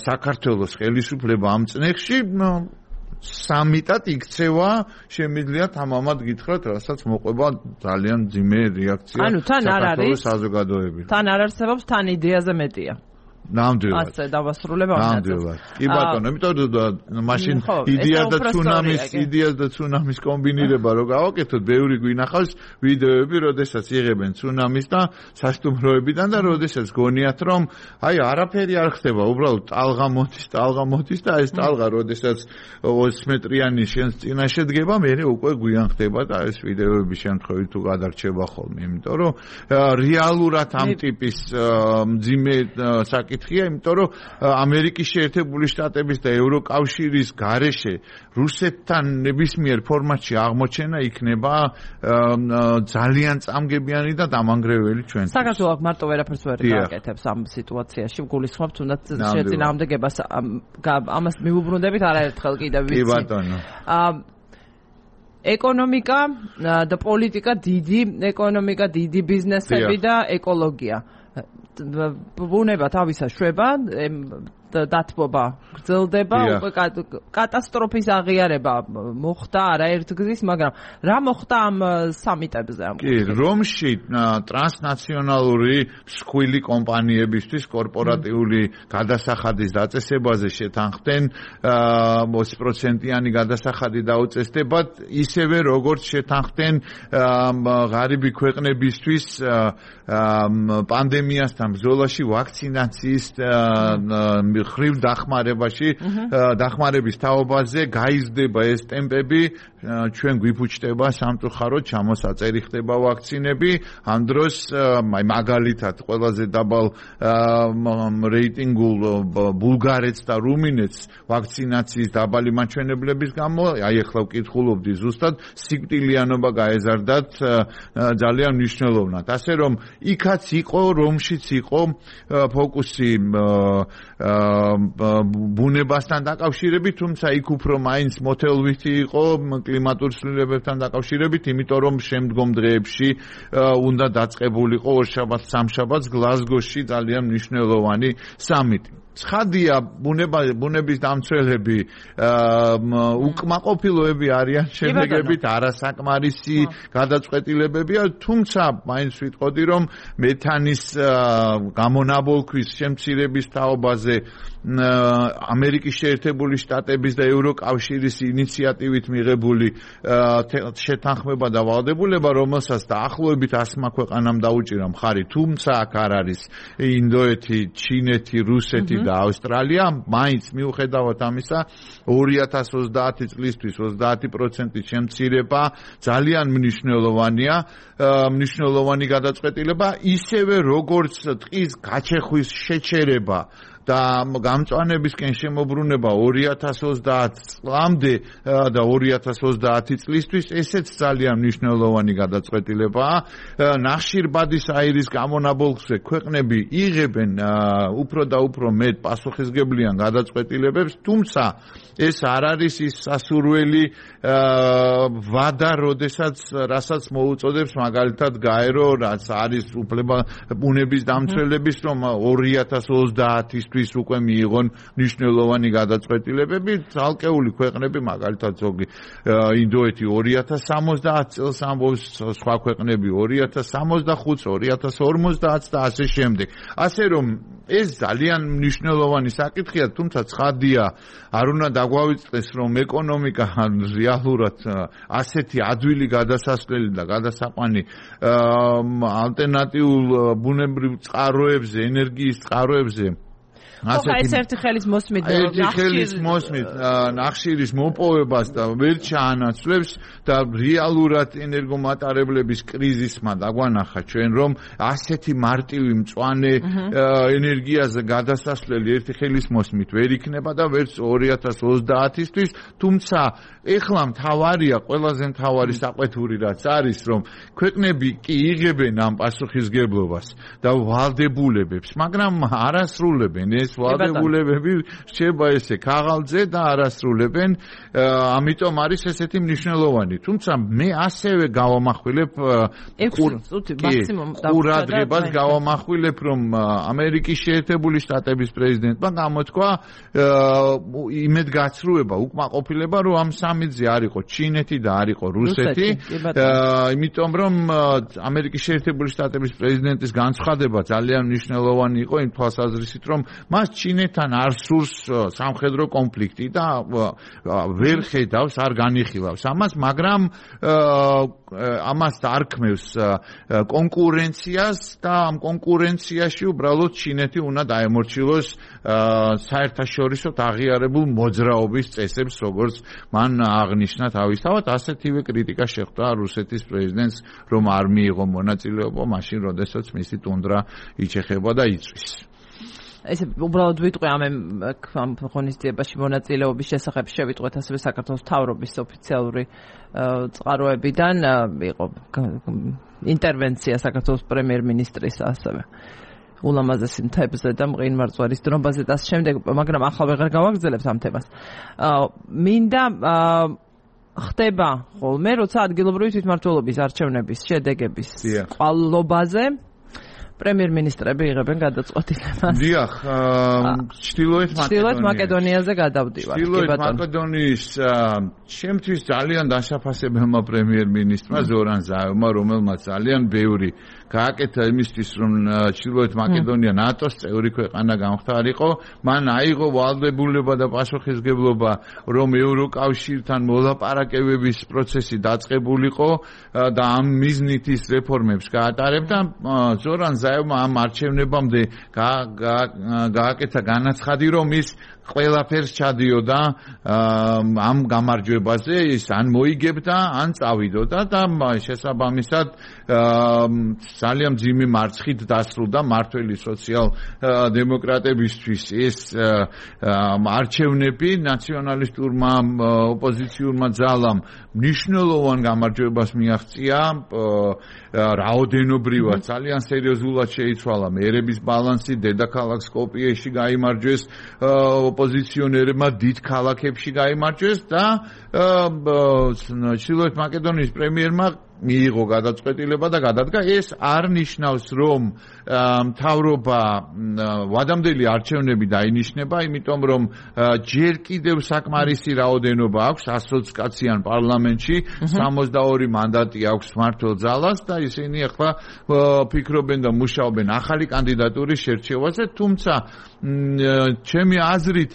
საქართველოს ხელისუფლება ამ წნეხში, სამიტად იქცევა, შემიძლია თამამად გითხრათ, რასაც მოყვება ძალიან ძიმე რეაქცია საქართველოს საზოგადოებიდან. თან არ არსებობს, თან იდეაზე მეტია. ნამდვილად. ასე დავასრულებ ამ ნამდვილად. კი ბატონო, იმიტომ რომ მაშინ იდეას და ცუნამის კომბინირება რო გავაკეთოთ, ბევრი გვინახავს ვიდეოები, როდესაც იღებენ ცუნამის და სასტუმროებიდან და როდესაც გონიათ, რომ აი არაფერი არ ხდება, უბრალოდ ტალღა მოდის და ეს ტალღა როდესაც 20 მეტრიანი შენს წინაშე დგება, მერე უკვე გვიან ხდება და ეს ვიდეოების შემთხვევით თუ გადარჩება ხოლმე, იმიტომ რომ რეალურად ამ ტიპის მძიმე საკითხია, იმიტომ რომ ამერიკის შეერთებული შტატების და ევროკავშირის გარეშე რუსეთთან ნებისმიერ ფორმატში აღმოჩენა იქნება ძალიან წამგებიანი და დამანგრეველი ჩვენთვის. საქართველოს მარტო ვერაფერს ვერ გააკეთებს ამ სიტუაციაში, გულისხმობ თუნდაც შეწინააღმდეგებას ამას მიუბრუნდებით არაერთხელ კიდევ ვიცი. კი ბატონო. ეკონომიკა და პოლიტიკა, დიდი ბიზნესები და ეკოლოგია. ბუნება თავისა შვება, დათბობა გრძელდება, უკვე კატასტროფის აღიარება მოხდა არაერთგზის, მაგრამ რა მოხდა ამ სამიტებზე ამ კი, რომში ტრანსნაციონალური მსხვილი კომპანიებისთვის კორპორატიული გადასახადის დაწესებაზე შეთანხმდნენ 20%-იანი გადასახადი დაუწესდებათ, ისევე როგორც შეთანხმდნენ ღარიბი ქვეყნებისთვის პანდემიასთან ბრძოლაში ვაქცინაციის ხრივ დახმარების თაობაზე გაიზრდება ეს ტემპები, ჩვენ გვიფუჭდება სამწუხაროდ ჩამოსაწერი ხდება ვაქცინები, ამ დროს მაგალითად ყველაზე დაბალ რეიტინგულ ბულგარეთს და რუმინეთს ვაქცინაციის დაბალი მაჩვენებლების გამო, აი ახლა ვკითხულობდი ზუსტად, სიკვდილიანობა გაეზარდათ ძალიან მნიშვნელოვნად. ასე რომ იქაც იყო, რომშიც იყო ფოკუსი ბუნებასთან დაკავშირებით, თუმცა იქ უფრო მაინც მოთელვითი იყო კლიმატურ ცვლილებებთან დაკავშირებით, იმიტომ რომ შემდგომ დღეებში უნდა დაწყებულიყო ორშაბათს სამშაბათს გლაზგოში ძალიან მნიშვნელოვანი სამიტი. ცხადია, ბუნების დამცველები უკმაყოფილოები არიან, შემდეგებით არასაკმარისი გადაწყვეტილებებია, თუმცა მაინც ვიტყოდი, რომ მეთანის გამონაბოლქვის შემცირების თაობაზე ამერიკის შეერთებული შტატების და ევროკავშირის ინიციატივით მიღებული შეთანხმება და ვალდებულება, რომელსაც დაახლოებით 100 ქვეყანამ დაუჭირა მხარი, თუმცა აქ არ არის ინდოეთი, ჩინეთი, რუსეთი და ავსტრალია, მაინც მიუხედავად ამისა 2030 წლისთვის 30% შემცირება ძალიან მნიშვნელოვანია, მნიშვნელოვანი გადაწყვეტილება, ისევე როგორც ტყის გაჩეხვის შეჩერება და გამწვანებისკენ შემოbrunება 2030 წლამდე და 2030 წლისთვის, ესეც ძალიან მნიშვნელოვანი გადაწყვეტილებაა. ნახშირბადის აირის გამონაბოლქვზე ქვეყნები იღებენ უფრო და უფრო მეტ პასუხისგებლიან გადაწყვეტილებებს, თუმცა ეს არ არის ის სასურველი ვადა, რასაც მოუწოდებს მაგალითად გაერო, რაც არის ბუნების დამცველების, რომ 2030-ისთვის უკვე მიიღონ მნიშვნელოვანი გადაწყვეტილებები, ცალკეული ქვეყნები, მაგალითად ზოგი ინდოეთი 2070 წელს ამბობს, სხვა ქვეყნები 2065, 2050 და ასე შემდეგ. ასე რომ ეს ძალიან მნიშვნელოვანი საკითხია, თუმცა ცხადია, არ უნდა დაგვავიწყდეს, რომ ეკონომიკა რეალურად ასეთი ადვილი გადასასვლელი და გადასაყვანი ალტერნატიულ ბუნებრივ წყაროებზე, ენერგიის წყაროებზე ეს ერთი ხელის მოსმით ნახშირის მოპოვებას და ვერ ჩაანაცვლებს და რეალურად ენერგომატარებლების კრიზისმა დაგვანახა ჩვენ, რომ ასეთი მარტივი მწვანე ენერგიაზე გადასასვლელი ერთი ხელის მოსმით ვერ იქნება და ვერც 2030-ისთვის, თუმცა ეხლა მთავარია, ყველაზე მთავარი საყვეთური რაც არის, რომ ქვეყნები კი იღებენ ამ პასუხისგებლობას და ვალდებულებებს, მაგრამ არასრულებენ ეს ვალდებულებები რჩება ესე ქაღალდზე და არასრულებენ, ამიტომ არის ესეთი მნიშვნელოვანი. თუმცა მე ასევე გავამახვილებ ყურადღებას გავამახვილებ, რომ ამერიკის შეერთებული შტატების პრეზიდენტმა გამოთქვა იმედგაცრუება, უკმაყოფილება, რომ ამ სამიტზე არ იყო ჩინეთი და არ იყო რუსეთი, იმიტომ რომ ამერიკის შეერთებული შტატების პრეზიდენტის განცხადება ძალიან მნიშვნელოვანი იყო იმ თვალსაზრისით, რომ მას ჩინეთთან არ სურს სამხედრო კონფლიქტი და ვერ ხედავს, არ განიხილავს ამას, მაგრამ ამას დარქმევს კონკურენციას და ამ კონკურენციაში უბრალოდ ჩინეთი უნდა დაემორჩილოს საერთაშორისო აღიარებულ მოძრაობის წესებს, როგორც მან აღნიშნა თავისთავად. ასეთივე კრიტიკა შეხვდა რუსეთის პრეზიდენტს, რომ არ მიიღო მონაწილეობა მაშინ, როდესაც მისი ტუნდრა იჩეხება და იწვის. ეს უბრალოდ ვიტყვი ამ ღონისძიებაში მონაწილეობის შესახებ შევიტყვეთ ასევე საქართველოს მთავრობის ოფიციალური წყაროებიდან იყო ინტერვენცია საქართველოს პრემიერ-მინისტრის ასევე ულამაზესი მთებზე და მყინვარწვერის დრომბაზე და ამ შემდეგ, მაგრამ ახლა ვეღარ გავაგრძელებთ ამ თემას. მინდა ხდება ხოლმე, როცა ადგილობრივი თვითმმართველობის არჩევნების შედეგების ყვალობაზე პრემიერ-მინისტრები იღებენ გადაწყვეტილებას. დიახ, ჩრდილოეთ მაკედონიაზე გადავდივართ. ჩრდილოეთ მაკედონიის ჩემთვის ძალიან დასაფასებელმა პრემიერ-მინისტრმა ზორან ზაევმა, რომელმაც ძალიან ბევრი გააკეთა იმისთვის, რომ ჩრდილოეთ მაკედონია ნატოს წევრი ქვეყანა გამხდარიყო, მან აიღო ვალდებულება და პასუხისმგებლობა, რომ ევროკავშირთან მოლაპარაკებების პროცესი დაწყებულიყო და ამ მიზნით ის რეფორმებს გაატარებდა. ზორან ზაევმა ამ არჩევნებამდე გააკეთა განაცხადი, რომ ის ყველაფერს ჩადიოდა ამ გამარჯვებაზე, ის ან მოიგებდა, ან წავიდოდა და შესაბამისად ძალიან მძიმე მარცხით დასრულდა მართველი სოციალ-დემოკრატებისთვის ეს არჩევნები. ნაციონალისტურმა ოპოზიციურმა ძალამ მნიშვნელოვან გამარჯვებას მიაღწია, რაოდენობრივად ძალიან სერიოზულად შეიცვალა მერების ბალანსი, დედაქალაქ სკოპიეში გაიმარჯვეს ოპოზიციონერებმა, დიდ ქალაქებში გაიმარჯვეს და ჩრდილოეთ მაკედონიის პრემიერმა მიიღო გადაწყვეტილება და გადადგა. ეს არ ნიშნავს, რომ მთავრობა ვადამდელი არჩევნები დაინიშნება, იმიტომ რომ ჯერ კიდევ საკმარისი რაოდენობა აქვს 120 კაციან პარლამენტში, 62 მანდატი აქვს მმართველ ძალას და ისინი ახლა ფიქრობენ და მუშაობენ ახალი კანდიდატურის შერჩევაზე, თუმცა ჩემი აზრით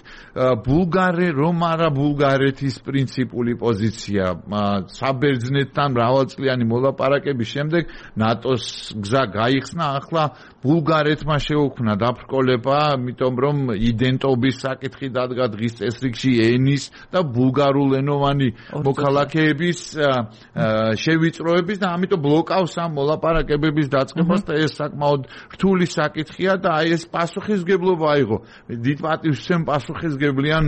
რომ არა ბულგარეთის პრინციპული პოზიცია საბერძნეთთან მრავალწლიანი მოლაპარაკების შემდეგ ნატოს გზა გაიხსნა, ახლა ბულგარეთმა შეუქმნა დაბრკოლება, იმიტომ რომ იდენტობის საკითხი დადგა დღის წესრიგში ენის და ბულგარულენოვანი მოქალაქეების შევიწროების და ამიტომ ბლოკავს ამ მოლაპარაკებების დაწყებას და ეს საკმაოდ რთული საკითხია და აი ეს პასუხისმგებლობა აიღო. დიდ პატივს ვცემ პასუხისმგებლიან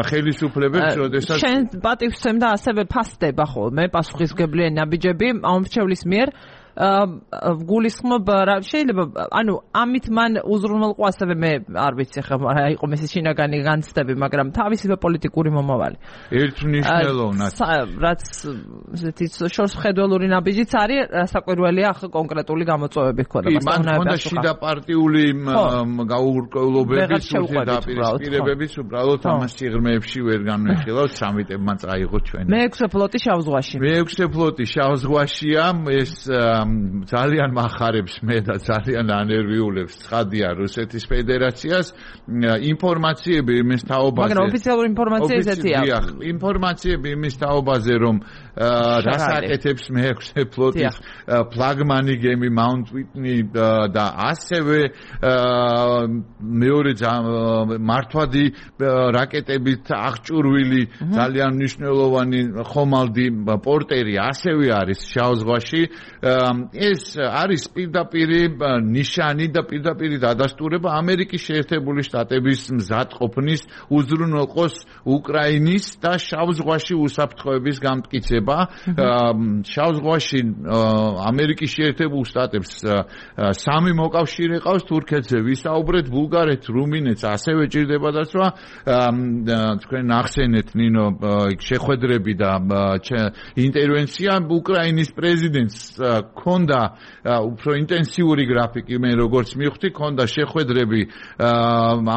ხელისუფლებებს, როდესაც შენ პატივს ვცემ და ასევე ფასდება ხოლმე პასუხისმგებლიანი ნაბიჯები ამრჩევლის მიერ გულისხმობ რა შეიძლება ანუ ამით მან უზრუნველყო ასევე მე არ ვიცი ხა იყო მესი შინაგანი განცდები, მაგრამ თავისი პოლიტიკური მომავალი ერთმნიშვნელოვნად რაც ესეთი შორსმხედველური ნაბიჯიც არის, საკვირველია ახლა კონკრეტული გამოწვევები ხდება. მან ხონდა შიდა პარტიული გაურკვევლობების დაპირისპირებების უბრალოდ ამას სიღრმეებში ვერ განვიხილავთ, სამიტებმა წაიღო ჩვენ. მე-6 ფლოტი შავ ზღვაში. მე-6 ფლოტი შავ ზღვაშია, ეს ძალიან מחარებს მე და ძალიან ანერვიულებს ცხადია რუსეთის ფედერაციას. ინფორმაციები იმის თაობაზე, მაგრამ ოფიციალური ინფორმაცია ესეთია. ინფორმაციები იმის თაობაზე, რომ რასაკეთებს მე-6 ფლოტის ფლაგმანი გემი Mount Whitney და ასევე მეორე მართვადი რაკეტებით აღჭურვილი ძალიან მნიშვნელოვანი ხომალდი პორტერი ასევე არის შავ ზღვაში. ეს არის პირდაპირი ნიშანი და პირდაპირი დადასტურება ამერიკის შეერთებული შტატების მზადყოფნის უზრუნველყოს უკრაინის და შავ ზღვაში უსაფრთხოების გამტკიცება. შავ ზღვაში ამერიკის შეერთებულ შტატებს 3 მოკავშირე ყავს, თურქეთზე ვისაუბრეთ, ბულგარეთს, რუმინეთს ასევე ჭირდება დაცვა. თქვენ ახსენეთ ნინო შეხვედრები და ინტერვენცია. უკრაინის პრეზიდენტს ქონდა უფრო ინტენსიური გრაფიკი, მე როგორც მივხვდი, ქონდა შეხვედრები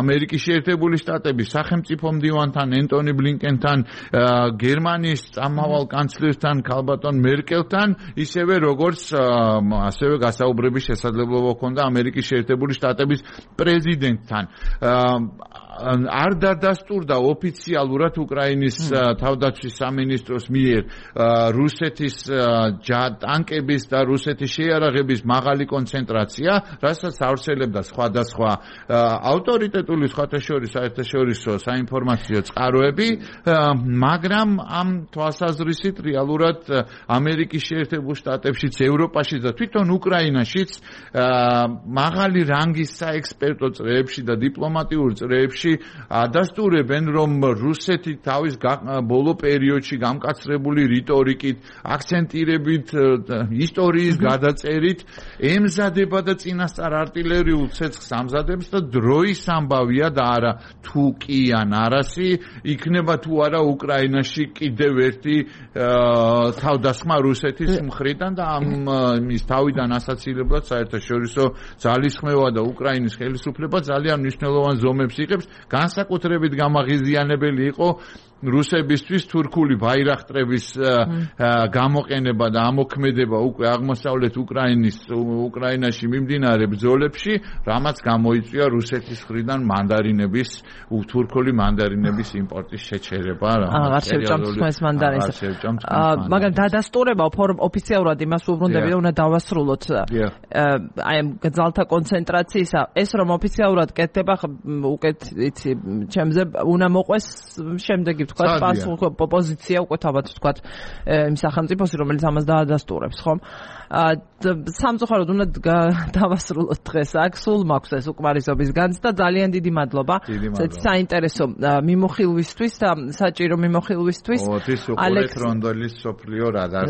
ამერიკის შეერთებული შტატების სახელმწიფო მდივანთან, ენტონი ბლინკენთან, გერმანიის წამავალ კანცლერთან, ქალბატონ მერკელთან, ისევე როგორც ასევე გასაუბრების შესაძლებლობა ქონდა ამერიკის შეერთებული შტატების პრეზიდენტთან. არ დადასტურდა ოფიციალურად უკრაინის თავდაცვის სამინისტროს მიერ რუსეთის ტანკების და რუსეთის შეიარაღების მაღალი კონცენტრაცია, რასაც ავრცელებდა სხვადასხვა ავტორიტეტული საერთაშორისო საინფორმაციო წყაროები, მაგრამ ამ თვალსაზრისით რეალურად ამერიკის შეერთებულ შტატებშიც, ევროპაშიც და თვითონ უკრაინაშიც მაღალი რანგის საექსპერტო წრეებში და დიპლომატიურ წრეებში სიტყვებში ადასტურებენ, რომ რუსეთი თავის ბოლო პერიოდში გამკაცრებული რიტორიკით, აქცენტირებით, ისტორიის გადაწერით ემზადება და წინასწარ არტილერიულ ცეცხლს ამზადებს და დროის ამბავია და არა თუ კი ან არასი იქნება თუ არა უკრაინაში კიდევ ერთი თავდასხმა რუსეთის მხრიდან და ამის თავიდან ასაცილებლად საერთაშორისო ძალისხმევა და უკრაინის ხელისუფლება ძალიან მნიშვნელოვან ზომებს იღებს, განსაკუთრებით გამაღიზიანებელი იყო რუსებისთვის თურქული ბაირახტრების გამოყენება და ამოქმედება უკვე აღმოსავლეთ უკრაინაში მიმდინარე ბრძოლებში, რამაც გამოიწვია რუსეთის მხრიდან თურქული მანდარინების იმპორტის შეჩერება. მაგრამ დადასტურება ოფიციალურად იმას უბრუნდები და უნდა დავასრულოთ აი ამ ძალთა კონცენტრაციისა, ეს რომ ოფიციალურად კეთდება უკეთ იცი ჩემზე უნდა მოყვეს შემდეგი თქვა პოზიცია უკვე თავად თქვა იმ სახელმწიფოსი რომელიც ამას დაადასტურებს ხომ სამწუხაროდ უნდა დავასრულოთ დღეს აქ სულ მაქვს ეს უკმარისობის განცდა ძალიან დიდი მადლობა საინტერესო მიმოხილვისთვის და საჭირო მიმოხილვისთვის ალექს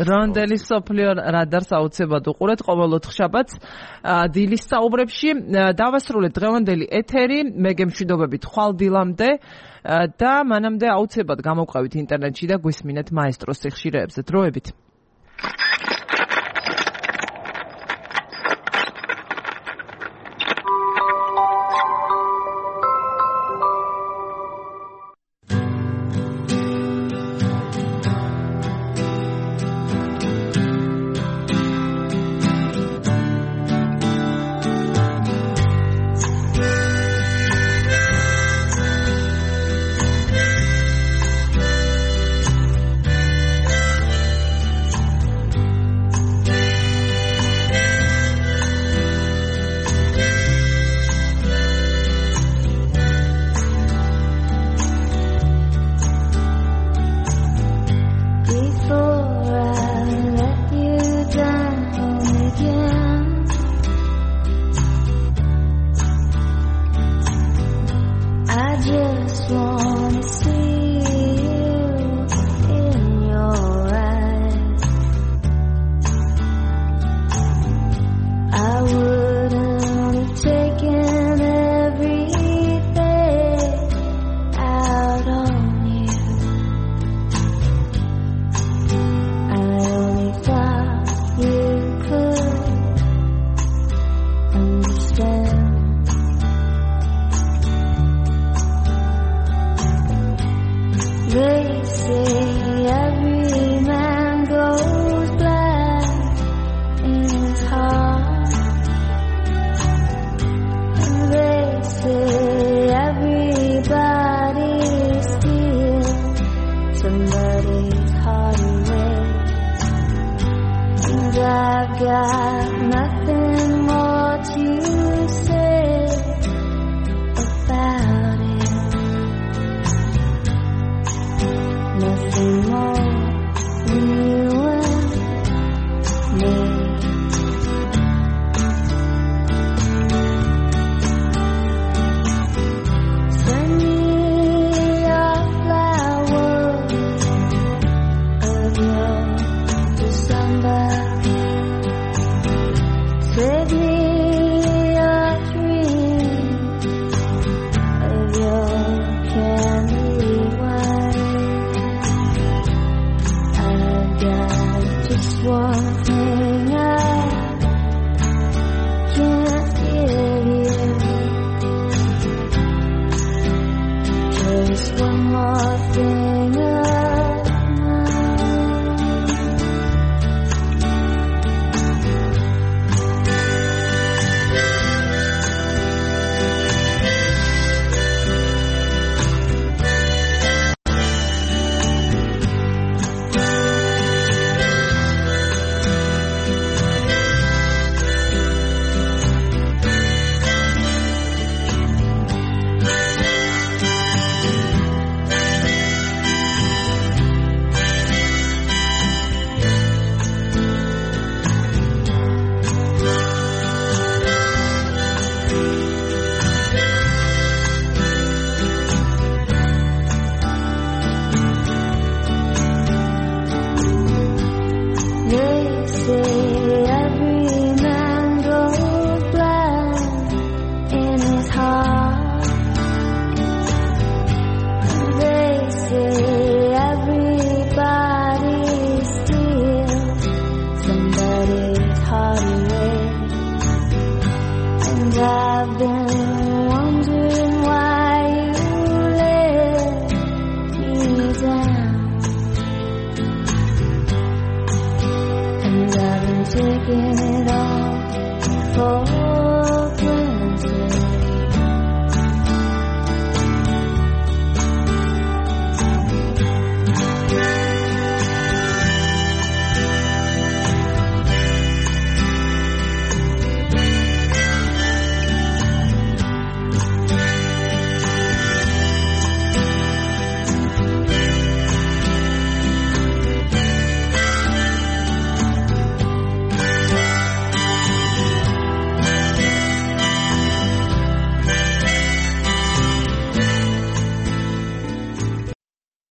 რონდელის სოფლიო რადარს აუცილებლად უყურეთ ყოველ ოთხშაბათს დილის საუბრებში დავასრულეთ დღევანდელი ეთერი მე გემშვიდობებით ხვალ დილამდე და მანამდე აუცილებლად გამოვყავით ინტერნეტში და გვისმინეთ მაესტროს სიხშირეებზე დროებით taking it all for